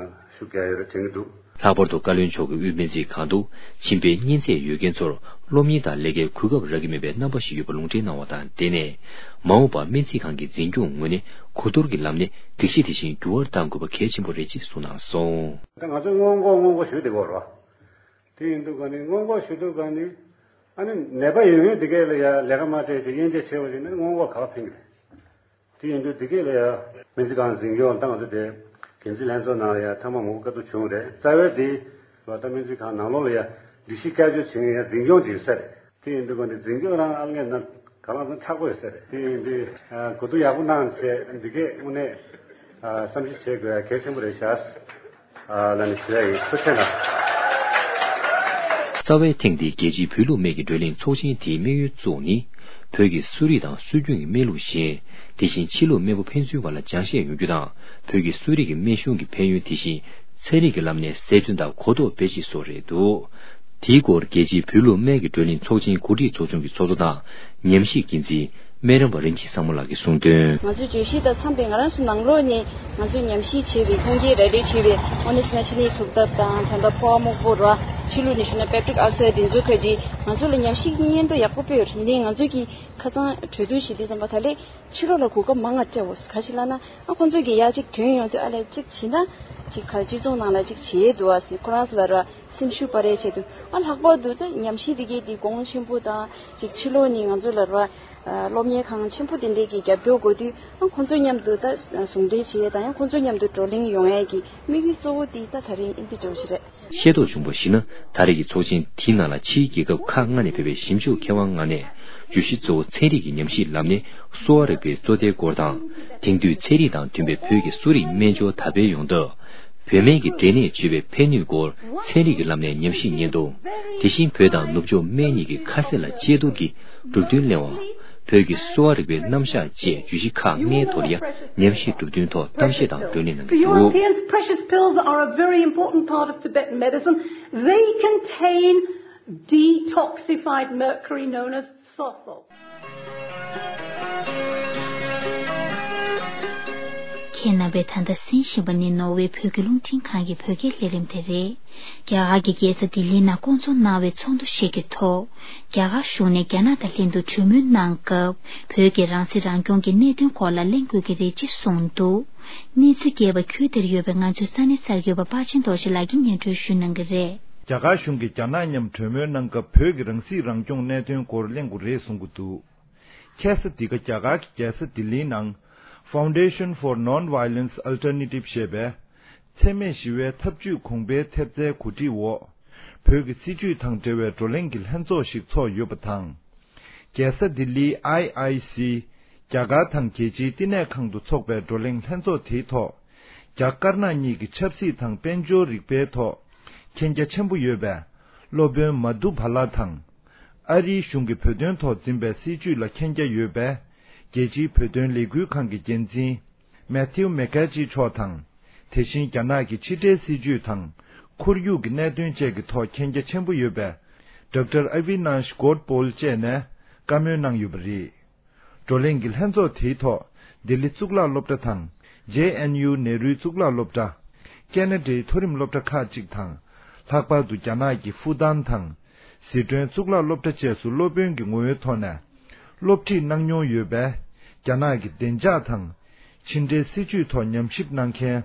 ཤུགས་རྒྱག་ཡོད་རེད་དྲན་གྱི་འདུག། ལྷག་པར་དུ་བཀའ་བློན་མཆོག་གིས་དབུས་སྨན་རྩིས་ཁང་དུ་མཆིན་པའི་གཉན་ཚད་ཡོད་མཁན་ཚོར་སློབ་གཉེར་དང་ལས་ཀའི་གོ་སྐབས་རག་གི་མེད་པའི་རྣམ་པ་ཞིག་ཡོད་པ་ལུང་འདྲེན་གནང་བ་དང་། དེ་ནས་མ་འོངས་པར་སྨན་རྩིས་ཁང་གི་འཛིན་སྐྱོང་ངོས་ནས་གོ་བསྡུར་གྱི་ལམ་ནས་སྒྲིག་གཞི་དེ་བཞིན་འགྱུར་བ་གཏང་དགོས་པ་གལ་ཆེན་པོ་རེད་ཅེས་གསུངས་གནང་སོང་། ད་ང་ཚོས་སྔོན་འགོག་སྔོན་འགོག་ཞུ་བསྡད་ཀྱི་ཡོད་རེད་བ། དེ་ཡིན་དུས་ག་ནི་སྔོན་འགོག་ཞུ་དུས་ག་ནི། ཨ་ནི་ནད་པ་ཡོད་ཡོད་དེ་གས་ལ་ཡ་ལས་ཀ་མ་སྤྲད་ཅིག་དབྱེ་འབྱེད་བྱས་པ་ཡིན་ན་སྔོན་འགོག་ག་པར་ཕན་གི་རེད། དེ་ཡིན་དུས་དེ་གས་ལ་ཡ་སྨན་རྩིས་ཁང་འཛིན་སྐྱོང་བཏང་ཚེ་དེ་འགན་འཛིན་ལྷན་ཚོགས་ནང་ལ་ཡ་ཐེངས་མ་མང་པོ་བཀའ་བསྡུར་བྱུང་རེད། རྩ་བའི་དེ་བ་ད་སྨན་རྩིས་ཁང་ནང་ལོགས་ལ་ཡ་སྒྲིག་གཞི་བསྐྱར་བཅོས་བྱེད་ཡ་འཛིན་སྐྱོང་བྱེད་ས་རེད། དེ་ཡིན་དུས་ག་ནི་འཛིན་སྐྱོང་རང་ཨ་ལྔས་ན་ག་ལ་ཚང་ཚགས་པོ་ཡོད་ས་རེད། དེ་ཡིན་དུས་གོ་བསྡུར་ཡག་པོ་གནང་བྱས་འདི་གས་དངོས་གནས་བསམ་ཞིབ་བྱེད་དགོས་ཡ་གལ་ཆེན་པོ་རེད་ཤག། ཨ་ལ་ནི་ཞུ་ཡ་ཡིན། ཐུགས་རྗེ་གནང་། རྩ་བའི་ཐེངས་འདིའི་རྒྱལ་སྤྱིའི་བོད་ལུགས་སྨན་གྱི་བགྲོ་གླེང་ཚོགས་ཆེན་དེའི་དམིགས་ཡུལ་གཙོ་བོ་ནི། བོད་ཀྱི་གསོ་རིག་དང་སྲོལ་རྒྱུན་གྱི་སྨན་ལུགས་གཞན། དེ་བཞིན་ཕྱི་ལུགས་སྨན་པ་ཕན་ཚུན་བར་ལ་སྦྱང་ཤེས་ཡོང་རྒྱུ་དང་། བོད་ཀྱི་གསོ་རིག་གི་སྨན་གཞུང་གི་ཕན་ཡོན་དེ་བཞིན་ཚན་རིག་གི་ལམ་ནས་གསལ་སྟོན་དང་གོ་རྟོགས་སྤེལ་ཆེད་སོགས་རེད་འདུག། དེའི་སྐོར་རྒྱལ་སྤྱིའི་བོད་ལུགས་སྨན་གྱི་བགྲོ་གླེང་ཚོགས་ཆེན་གོ་སྒྲིག་ཚོགས་ཆུང་གི་ཚོགས་གཙོ་དང་ཉམས་ཞིབ་འགན་འཛིན་སྨན་རམས་པ་རིན་ཆེན་བཟང་མོ་ལགས་ཀྱིས་གསུངས་དོན། ང་ཚོའི་བརྗོད་གཞི་དང་འཚམས་པའི་ང་རང་ཚོ་ནང་ལོགས་ནས་ང་ཚོས་ཉམས་ཞིབ་བྱས་པའི་ཁུངས་སྐྱེལ་ར་སྤྲོད་བྱས་པའི་དངོས་གནས་ན་ཕྱི་ནས་ཐུག་ཐབས་དང་ད་ལྟ་ཕོ་བ་སྨུག་པོ་ར་ཕྱི་ལུགས་ནས་ཞུ་ན་པེ་ཀྲིག་ཨལ་སར་དེ་ཚོའི་ཁ་ཅིག་ང་ཚོ་ལ་ཉམས་ཞིབ་སྙན་ཐོ་ཡག་པོ་སྤེལ་ཡོད་རེད། འདི་ང་ཚོས་ཀྱི་ཁ་སང་གྲོས་བསྡུར་བྱེད་དུས་ཙམ་པ་ད་ལས། ཕྱི་ལོགས་ལ་གོ་སྐབས་མང་ང་སྤྲད་འོ། ག་ཞིག་ལབ་ན་ཨ་ཁོང་ཚོ་གི་ཡ་གཅིག་ཐོན་ཡོང་དུས་ཨ་ལས་གཅིག་བྱེད་ན་གཅིག་ག་སྤྱི་ཚོགས་ནང་ལ་གཅིག་བྱེད་འདུག་ཨ་ཟེར། ཁོ་རང་ཚོ་ལ་ར་སེམས་ཤུགས་སྤར་ཡས་ཆེད་དུ་ཨ་ལྷག་པར་དུ་ད་ཉམས་ཞིབ་དེ་གའི་དེ་གོང་ཆེན་པོ་དང་གཅིག་ཕྱི་ལོགས་ནས་ང་ཚོ་ལ་ར་སློབ་གཉེར་ཁང་ཆེན་པོ་དེ་འདྲས་ཀྱི་རྒྱབ་སྐྱོར་དགོས་དུས་ཨ་ཁོང་ཚོ་མཉམ་དུ་ད་ཟུང་འབྲེལ་བྱེད་ཡས་དང་ཡང་ཁོང་ཚོ་མཉམ་དུ་བགྲོ་གླེང་ཡོང་ཡས་ཀྱི་དམིགས་ཡུལ་གཙོ་བོ་དེ་ད་ད་རེས་ཨིན་དེ་འདྲ་བོ་ཞིག་རེད། ཤེས་རྟོགས་བྱུང་བར་གཞིགས་ན། ད་རེས་ཀྱི་ཚོགས་ཆེན་དེའི་ནང་ལ་ཕྱིའི་རྒྱལ་ཁབ་ཁག་ལྔ་ནས་ཕེབས་པའི་ཞིབ་འཇུག་མཁས་དབང་ལྔ་ནས། བརྗོད་གཞི་གཙོ་བོ་ཚན་རིག་གི་ཉམས་ཞིབ་ལམ་ནས་གསོ་བ་རིག་པའི་གཙོ་བདེའི་སྐོར་དང་། དེང་དུས་ཚན་རིག་དང་མཐུན་པའི་བོད་ཀྱི་གསོ་རིག་སྨན་སྦྱོར་དར་སྤེལ་ཡོང་སྟབས། བོད་སྨན་གྱི་འབྲས་ནད་བཅོས་པའི་ཕན་ནུས་སྐོར་ཚན་རིག་གི་ལམ་ནས་ཉམས་ཞིབ་སྙིང་བསྡུས། དེ་བཞིན་བོད་དང་ནུབ་ཕྱོགས་སྨན་གཉིས་ཀྱི་ཁ་གསབ་ལ་དཔྱད་བསྡུར་གྱི་གྲུབ་དོན་གླེང་བ། བོད་ཀྱི་གསོ་བ་རིག་པའི་རྣམ་གཞག་བཅས་བརྗོད་གཞི་ཁག་ལྔའི་ཐོག་ལ་ཡང་ཉམས་ཞིབ་གྲུབ་དོན་ཐོག་གཏམ་བཤད་དང་བགྲོ་གླེང་གནང་གི་འདུག། The Europeans' precious pills are a very important part of Tibetan medicine. They contain Detoxified mercury known as sulfur. ཁྱེད་རྣམ་པས་ད་ལྟ་གསན་བཞིན་པ་ནི་ནོར་ཝེ་བོད་ཀྱི་རླུང་འཕྲིན་ཁང་གི་བོད་སྐད་ལས་རིམ་དེ་རེད། རྒྱ་གར་གྱི་རྒྱལ་ས་ལྡི་ལིའི་ནང་བསྐོང་ཚོགས་གནང་བའི་ཚོགས་འདུ་ཞིག་གི་ཐོག་རྒྱ་གར་གཞུང་ནས་རྒྱ་ནག་དང་ལྷན་དུ་གྲོས་མོལ་གནང་སྐབས། བོད་ཀྱི་རང་སྲིད་རང་སྐྱོང་གི་གནད་དོན་སྐོར་ལ་གླེང་དགོས་ཀྱི་རེད་ཅེས་གསུངས་འདུག་གནས་ཚུལ་རྒྱས་པ་ཁུལ་དེར་ཡོད་པའི་ང་ཚོའི་ས་གནས་གསར་འགོད་པ་པ་ཆེན་རྡོ་རྗེ་ལགས་ཀྱིས་སྙན་སྒྲོན་ཞུ་གནང་གི་རེད། རྒྱ་གར་གཞུང་གིས་རྒྱ་ནག་མཉམ་གྲོས་མོལ་གནང་སྐབས། བོད་ཀྱི་རང་སྲིད་རང་སྐྱོང་གནད་དོན་སྐོར་གླེང་དགོས་རེད་གསུང་གི་འདུག་ཁ་སང་འདི་ག་རྒྱ་གར་གྱི་རྒྱལ་ས་ལྡི་ལིའི་ནང་Foundation for Non-Violence Alternative ཞེས་པས། འཚེ་མེད་ཞི་བའི་ཐབས་ཇུས་གོང་འཕེལ་ཐེབས་རྩའི་གོ་སྒྲིག་འོག་བོད་ཀྱི་སྲིད་བྱུས་དང་འབྲེལ་བའི་བགྲོ་གླེང་གི་ལྷན་ཚོགས་ཤིག་ཚོགས་ཡོད་པ་དང་། རྒྱལ་ས་ལྡི་ལིའི་ཨའི་ཨའི་སི། རྒྱ་གར་དང་རྒྱལ་སྤྱིའི་བསྟི་གནས་ཁང་དུ་འཚོགས་པའི་བགྲོ་གླེང་ལྷན་ཚོགས་དེའི་ཐོག་རྒྱ་དཀར་ནག་གཉིས་ཀྱི་ཆབ་སྲིད་དང་དཔལ་འབྱོར་རིག་པའི་ཐོག་མཁྱེན་རྒྱ་ཆེན་པོ་ཡོད་པའི་སློབ་དཔོན་མ་དྷུ་བྷ་ལ་དང་། ཨ་རིའི་གཞུང་གིས་བོད་དོན་ཐོག་འཛིན་པའི་སྲིད་བྱུས་ལ་མཁྱེན་རྒྱ་ཡོད་པའི་རྒྱལ་སྤྱིའི་བོད་དོན་ལས་འགུལ་ཁང་གི་འགན་འཛིན་མེ་ཐིའུ་མེ་ཁེ་ཇི་མཆོག་དང་། དེ་བཞིན་རྒྱ་ནག་གི་ཕྱི་འབྲེལ་སྲིད་བྱུས་དང་ཁོར་ཡུག་གི་གནད་དོན་བཅས་ཀྱི་ཐོག་མཁྱེན་རྒྱ་ཆེན་པོ་ཡོད་པའི་ཌོག་ཊར་ཨ་ཝི་ནཱཤ་གོཌ་པོལ་བཅས་ནས་བཀའ་མོལ་གནང་ཡོད་པ་རེད། བགྲོ་གླེང་གི་ལྷན་ཚོགས་དེའི་ཐོག་ལྡི་ལི་གཙུག་ལག་སློབ་གྲྭ་དང་། ཇེ་ཨེན་ཡུ་ནེ་རུའི་གཙུག་ལག་སློབ་གྲྭ། ཁེ་ན་ཌའི་མཐོ་རིམ་སློབ་གྲྭ་ཁག་ཅིག་དང་། ལྷག་པར་དུ་རྒྱ་ནག་གི་ཧྥུ་ཏན་དང་། ཟི་ཁྲོན་གཙུག་ལག་སློབ་གྲྭ་བཅས་སུ་སློབ་དཔོན་གྱི་ངོ་བོའི་ཐོག་ནས་སློབ་ཁྲིད་གནང་མྱོང་ཡོད་པའི་རྒྱ་ནག་གི་བདེ་འཇགས་དང་། ཕྱི་འབྲེལ་སྲིད་བྱུས་ཐོག་ཉམས་ཞིབ་གནང་མཁན་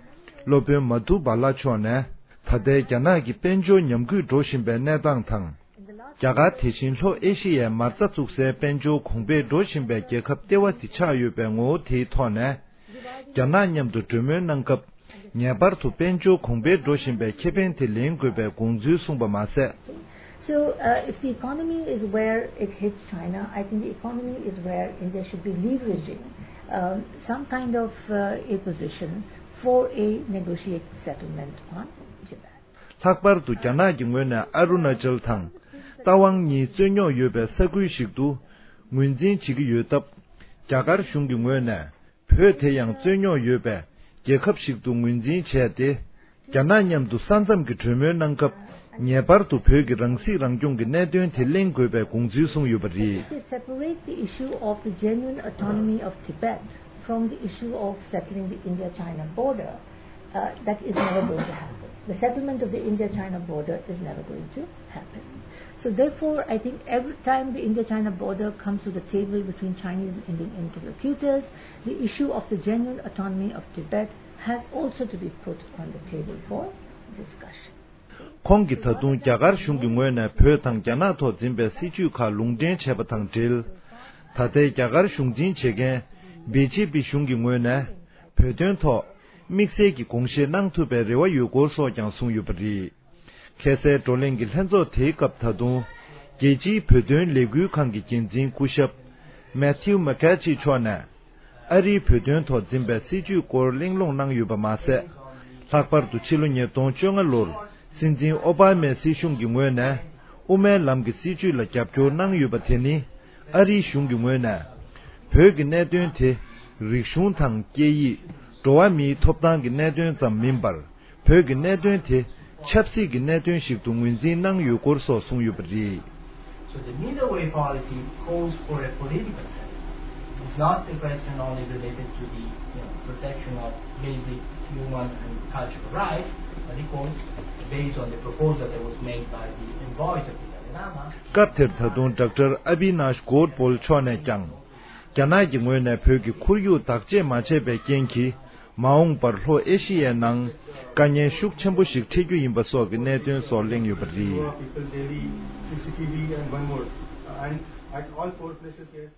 སློབ་དཔོན་མ་དྷུ་བྷ་ལ་མཆོག་ནས། ད་ལྟའི་རྒྱ་ནག་གི་དཔལ་འབྱོར་ཉམས་རྒུད་འགྲོ་བཞིན་པའི་གནས་སྟངས་དང་། རྒྱ་གར་དེ་བཞིན་ལྷོ་ཨེ་ཤི་ཡའི་མ་རྩ་བཙུགས་སའི་དཔལ་འབྱོར་གོང་འཕེལ་འགྲོ་བཞིན་པའི་རྒྱལ་ཁབ་ལྟེ་བ་དེ་ཆགས་ཡོད་པའི་ངོ་བོ་དེའི་ཐོག་ནས། རྒྱ་ནག་མཉམ་དུ་གྲོས་མོལ་གནང་སྐབས། ངེས་པར་དུ་དཔལ་འབྱོར་གོང་འཕེལ་འགྲོ་བཞིན་པའི་ཁེ་ཕན་དེ་ལེན་དགོས་པའི་དགོངས་ཚུལ་གསུངས་པ་མ་ཟད། So, uh, if the economy is where it hits China, I think the economy is where India should be leveraging um, some kind of uh, a position for a negotiated settlement on Tibet. ལྷག་པར་དུ་རྒྱ་ནག་གི་ངོས་ནས་ཨ་རུ་ན་ཅལ་དང་རྟ་དབང་གཉིས་རྩོད་རྙོག་ཡོད་པའི་ས་ཁུལ་ཞིག་ཏུ་ངོས་འཛིན་བྱེད་ཀྱི་ཡོད་སྟབས། རྒྱ་གར་གཞུང་གི་ངོས་ནས་བོད་དེ་ཡང་རྩོད་རྙོག་ཡོད་པའི་རྒྱལ་ཁབ་ཞིག་ཏུ་ངོས་འཛིན་བྱས་ཏེ། རྒྱ་ནག་མཉམ་དུ་ས་མཚམས་ཀྱི་གྲོས་མོལ་གནང་སྐབས། ངེས་པར་དུ་བོད་ཀྱི་རང་སྲིད་རང་སྐྱོང་གི་གནད་དོན་དེ་གླེང་དགོས་པའི་དགོངས་ཚུལ་གསུངས་ཡོད་པ་རེད། If they separate the issue of the genuine autonomy of Tibet from the issue of settling the India-China border, uh, that is never going to happen. The settlement of the India-China border is never going to happen. So therefore, I think every time the India-China border comes to the table between Chinese and Indian interlocutors, the issue of the genuine autonomy of Tibet has also to be put on the table for discussion. ཁོང་གིས་ད་དུང་རྒྱ་གར་གཞུང་གི་ངོས་ནས་བོད་དང་རྒྱ་ནག་ཐོག་འཛིན་པའི་སྲིད་བྱུས་ཁག་ལུང་འདྲེན་བྱས་པ་དང་འབྲེལ། ད་ལྟའི་རྒྱ་གར་གཞུང་འཛིན་བྱེད་མཁན་བི་ཇེ་པི་གཞུང་གི་ངོས་ནས་བོད་དོན་ཐོག་དམིགས་བསལ་གྱི་དགོངས་བཞེས་གནང་ཐུབ་པའི་རེ་བ་ཡོད་སྐོར་སོགས་ཀྱང་གསུངས་ཡོད་པ་རེད། ཁ་སང་བགྲོ་གླེང་གི་ལྷན་ཚོགས་དེའི་སྐབས་ད་དུང་རྒྱལ་སྤྱིའི་བོད་དོན་ལས་འགུལ་ཁང་གི་འགན་འཛིན་སྐུ་ཞབས་མེ་ཐིའུ་མེ་ཁེ་ཇི་མཆོག་ནས། ཨ་རིའི་བོད་དོན་ཐོག་འཛིན་པའི་སྲིད་བྱུས་སྐོར་གླེང་སློང་གནང་ཡོད་པ་མ་ཟད། ལྷག་པར་དུ་ཕྱི་ལོ་ཉིས་སྟོང་བཅོ་ལྔ་ལོར་སྲིད་འཛིན་ཨོ་བྷ་མའི་སྲིད་གཞུང་གི་ངོས་ནས་དབུ་མའི་ལམ་གྱི་སྲིད་བྱུས་ལ་རྒྱབ་སྐྱོར་གནང་ཡོད་པ་དེ་ནི། ཨ་རིའི་གཞུང་གི་ངོས་ནས་བོད་ཀྱི་གནད་དོན་དེ་རིག་གཞུང་དང་སྐད་ཡིག་འགྲོ་བ་མིའི་ཐོབ་ཐང་གི་གནད་དོན་ཙམ་མིན་པར། བོད་ཀྱི་གནད་དོན་དེ་ཆབ་སྲིད་ཀྱི་གནད་དོན་ཞིག་ཏུ་ངོས་འཛིན་གནང་ཡོད་སྐོར་སོགས་གསུངས་ཡོད་པ་རེད། So the middle way policy calls for a political settlement. It's not a question only related to the, you know, protection of basic human and cultural rights, but it calls based on the proposal that was made by the envoys of the Dalai Lama. སྐབས་དེར་ད་དུང་ཌོག་ཊར་ཨ་བི་ནཱཤ་གོར་པོལ་མཆོག་ནས་ཀྱང་། རྒྱ་ནག་གི་ངོས་ནས་བོད་ཀྱི་ཁོར་ཡུག་བདག་གཅེས་མ་བྱས་པའི་རྐྱེན་གྱིས། མ་འོངས་པར་ལྷོ་ཨེ་ཤི་ཡའི་ནང་དཀའ་ངལ་ཤུགས་ཆེན་པོ་ཞིག་འཕྲད་རྒྱུ་ཡིན་པ་སོགས་ཀྱི་གནད་དོན་སོགས་གླེང་ཡོད་པ་རེད། People daily, C C T V and one more. And at all four places, yes,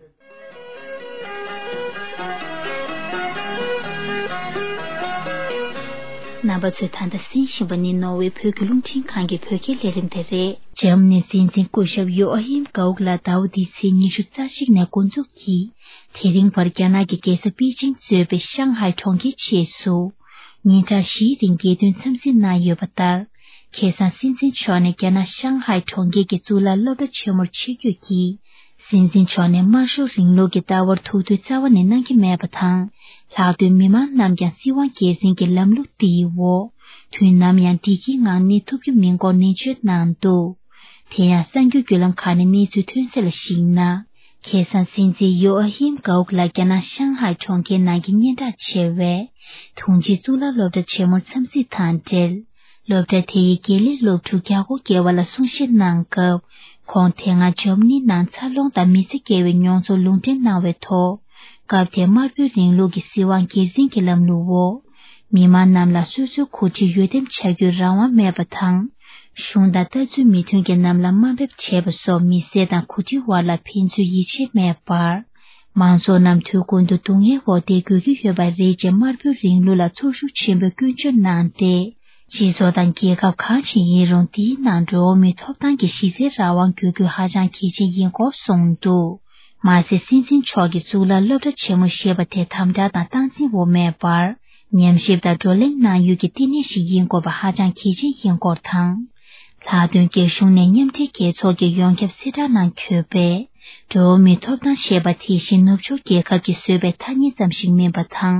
རྣམ་པ་ཚོས་ད་ལྟ་གསན་བཞིན་པ་ནི་ནོར་ཝེ་བོད་ཀྱི་རླུང་འཕྲིན་ཁང་གི་བོད་སྐད་ལས་རིམ་དེ་རེད། འཇར་མ་ནིའི་སྲིད་འཛིན་སྐུ་ཞབས་ཡོ་ཨ་ཧིམ་གའུག་ལ་ཟླ་བ་འདིའི་ཚེས་ཉི་ཤུ་རྩ་གཅིག་ནས་འགོ་འཛུགས་ཀྱིས། དེ་རིང་བར་རྒྱ་ནག་གི་རྒྱལ་ས་པེ་ཅིང་གཙོས་པའི་ཤང་ཧའེ་གྲོང་ཁྱེར་བཅས་སུ། ཉིན་གྲངས་བཞིའི་རིང་རྒྱལ་དོན་འཚམས་གཟིགས་གནང་ཡོད་པ་ལྟར། ཁ་སང་སྲིད་འཛིན་མཆོག་ནས་རྒྱ་ནག་ཤང་ཧའེ་གྲོང་ཁྱེར་གྱི་གཙུག་ལག་སློབ་གྲྭ་ཆེན་མོར་ཆིབས་བསྒྱུར་གྱིས། སྲིད་འཛིན་མཆོག་ནས་དམར་ཤོག་རིང་ལུགས་ཀྱི་ལྟ་བར་ཐུགས་འདོད་རྩ་བ་ནས་གནང་གི་མེད་པ་དང་། ལྷག་དོན་མི་མང་རྣམས་ཀྱང་སྲིད་དབང་སྒེར་འཛིན་གྱི་ལམ་ལུགས་འདིའི་འོག་དུས་ནམ་ཡང་བདེ་སྐྱིད་ངང་གནས་ཐུབ་རྒྱུ་མིན་སྐོར་ནན་བརྗོད་གནང་འདུག་དེ་ཡང་གསར་འགྱུར་བརྒྱུད་ལམ་ཁག་ནས་གནས་ཚུལ་ཐོན་གསལ་ལ་གཞིགས་ན། ཁ་སང་སྲིད་འཛིན་ཡོ་ཨ་ཧིམ་གའུག་ལགས་རྒྱ་ནག་ཤང་ཧའེ་གྲོང་ཁྱེར་ནང་གི་སྙན་གྲགས་ཆེ་བའི་དུང་ཕྱུར་གཙུག་ལག་སློབ་གྲྭ་ཆེན་མོར་འཚམས་གཟིགས་དང་འབྲེལ། སློབ་གྲྭ་དེ་ཡི་དགེ་ལས་སློབ་ཕྲུག་བརྒྱ་སྐོར་བརྒལ་བ་ལ་གསུང་བཤད་གནང་སྐབས། ཁོང་དེ་སྔ་འཇར་མ་ནི་ནང་འཚར་ལོངས་དང་མི་ཚེ་སྐྱེལ་བའི་མྱོང་ཚོར་ལུང་འདྲེན་གནང་བའི་ཐོག་སྐབས་དེར་དམར་པོའི་རིང་ལུགས་ཀྱི་སྲིད་དབང་སྒེར་འཛིན་གྱི་ལམ་ལུགས་འོག་མི་མང་རྣམས་ལ་སོ་སོའི་འགོ་ཁྲིད་འོས་འདེམས་བྱ་རྒྱུའི་རང་དབང་མེད་པ་དང་། གཞུང་དང་ལྟ་ཚུལ་མི་མཐུན་གྱི་རྣམས་ལ་དམའ་འབེབས་བྱེད་པ་སོགས་མི་སེར་དང་འགོ་ཁྲིད་དབར་ལ་ཕན་ཚུན་ཡིད་ཆེས་མེད་པར། མང་ཚོགས་རྣམས་དུས་ཀུན་ཏུ་སྡུག་བསྔལ་འོག་བསྡད་དགོས་ཀྱི་ཡོད་པ་རེད་ཅེས་དམར་པོའི་རིང་ལུགས་ལ་ཚོར་ཤུགས་ཆེན་པོས་སྐྱོན་བརྗོད་གནང་སྟེ། སྤྱི་ཚོགས་དང་རྒྱལ་ཁབ་གང་ཞིག་ཡིན་རུང་དེའི་ནང་འགྲོ་བ་མིའི་ཐོབ་ཐང་གི་གཞི་རྩའི་རང་དབང་དགོས་རྒྱུ་ཧ་ཅང་གལ་ཆེན་ཡིན་སྐོར་གསུངས་འདུག་མ་ཟད་སྲིད་འཛིན་མཆོག་གིས་གཙུག་ལག་སློབ་གྲྭ་ཆེན་མོ་ཞེས་པ་དེ་དམ་དྲག་དང་སྟངས་འཛིན་འོག་མེད་པར། ཉམས་ཞིབ་དང་བགྲོ་གླེང་གནང་ཡུལ་གྱི་བསྟི་གནས་ཤིག་ཡིན་དགོས་པ་ཧ་ཅང་གལ་ཆེན་ཡིན་སྐོར་དང་། ལྷག་དོན་རྒྱ་གཞུང་ནས་མཉམ་འབྲེལ་རྒྱལ་ཚོགས་ཀྱི་ཡོངས་ཁྱབ་གསལ་བསྒྲགས་ནང་འཁོད་པའི་འགྲོ་བ་མིའི་ཐོབ་ཐང་ཞེས་པ་དེ་བཞིན་ནུབ་ཕྱོགས་རྒྱལ་ཁབ་ཀྱིས་བཟོས་པའི་ཐ་སྙད་ཙམ་ཞིག་མིན་པ་དང་།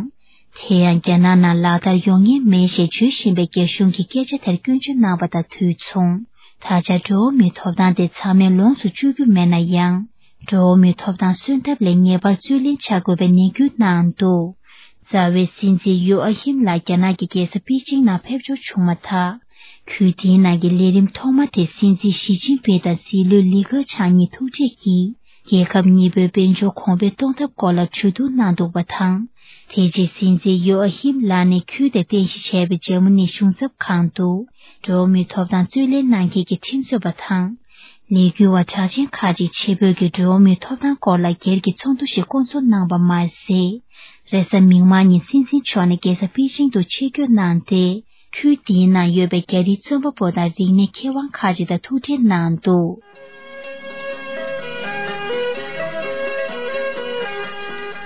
དེ་ཡང་རྒྱ་ནག་ནང་ལག་བསྟར་ཡོང་ཉེན་མེད་ཞེས་བརྗོད་བཞིན་པའི་རྒྱ་གཞུང་གི་སྐད་ཆ་དེར་སྐྱོན་བརྗོད་གནང་བ་དང་དུས་མཚུངས། ད་ཆ་འགྲོ་བ་མིའི་ཐོབ་ཐང་དེ་ཚང་མས་ལོངས་སུ་སྤྱོད་རྒྱུ་མེད་ན་ཡང་། འགྲོ་བ་མིའི་ཐོབ་ཐང་གསོན་ཐབས་ལས་ངེས་པར་རྩོད་ལེན་བྱ་དགོས་པའི་ནན་སྐུལ་གནང་འདུག་རྩ་བའི་སྲིད་འཛིན་ཡོ་ཨ་ཧིམ་ལགས་རྒྱ་ནག་གི་རྒྱལ་ས་པེ་ཅིང་ནང་ཕེབས་འབྱོར་བྱུང་མ་ཐག་ཁུལ་དེའི་ནང་གི་ལས་རིམ་ཐོག་མ་དེ་སྲིད་འཛིན་ཞི་ཅིན་ཕིང་དང་སྲིད་བློན་ལི་ཁེ་ཆང་གཉིས་ཐུག་འཕྲད་ཀྱིས། རྒྱལ་ཁབ་གཉིས་པོའི་དཔལ་འབྱོར་གོང་འཕེལ་གཏོང་ཐབས་སྐོར་ལ་ཇུས་གཏོགས་གནང་འདུག་པ་དང་། དེ་རྗེས་སྲིད་འཛིན་ཡོ་ཨ་ཧིམ་ལགས་ནས་ཁུལ་དེར་རྟེན་གཞི་བྱས་པའི་འཇར་མ་ནིའི་གཞུང་ཚབ་ཁང་དུ་འགྲོ་བ་མིའི་ཐོབ་ཐང་རྩོད་ལེན་གནང་མཁན་གྱི་ཁྲིམས་རྩོད་པ་དང་། ལས་འགུལ་བ་གྲགས་ཅན་ཁག་ཅིག་ཆེད་ཕེབས་ཀྱིས་འགྲོ་བ་མིའི་ཐོབ་ཐང་སྐོར་ལ་སྒེར་གྱི་ཚོགས་འདུ་ཞིག་བསྐོང་ཚོགས་གནང་པ་མ་ཟད། རེས་གཟའ་མིག་དམར་ཉིན་སྲིད་འཛིན་མཆོག་ནས་རྒྱལ་ས་པེ་ཅིང་དུ་ཆིབས་བསྒྱུར་གནང་སྟེ། ཁུལ་དེའི་ནང་ཡོད་པའི་རྒྱ་རིགས་རྩོམ་པ་པོ་དང་རིག་གནས་མཁས་དབང་ཁག་ཅིག་དང་ཐུག་འཕྲད་གནང་འདུག་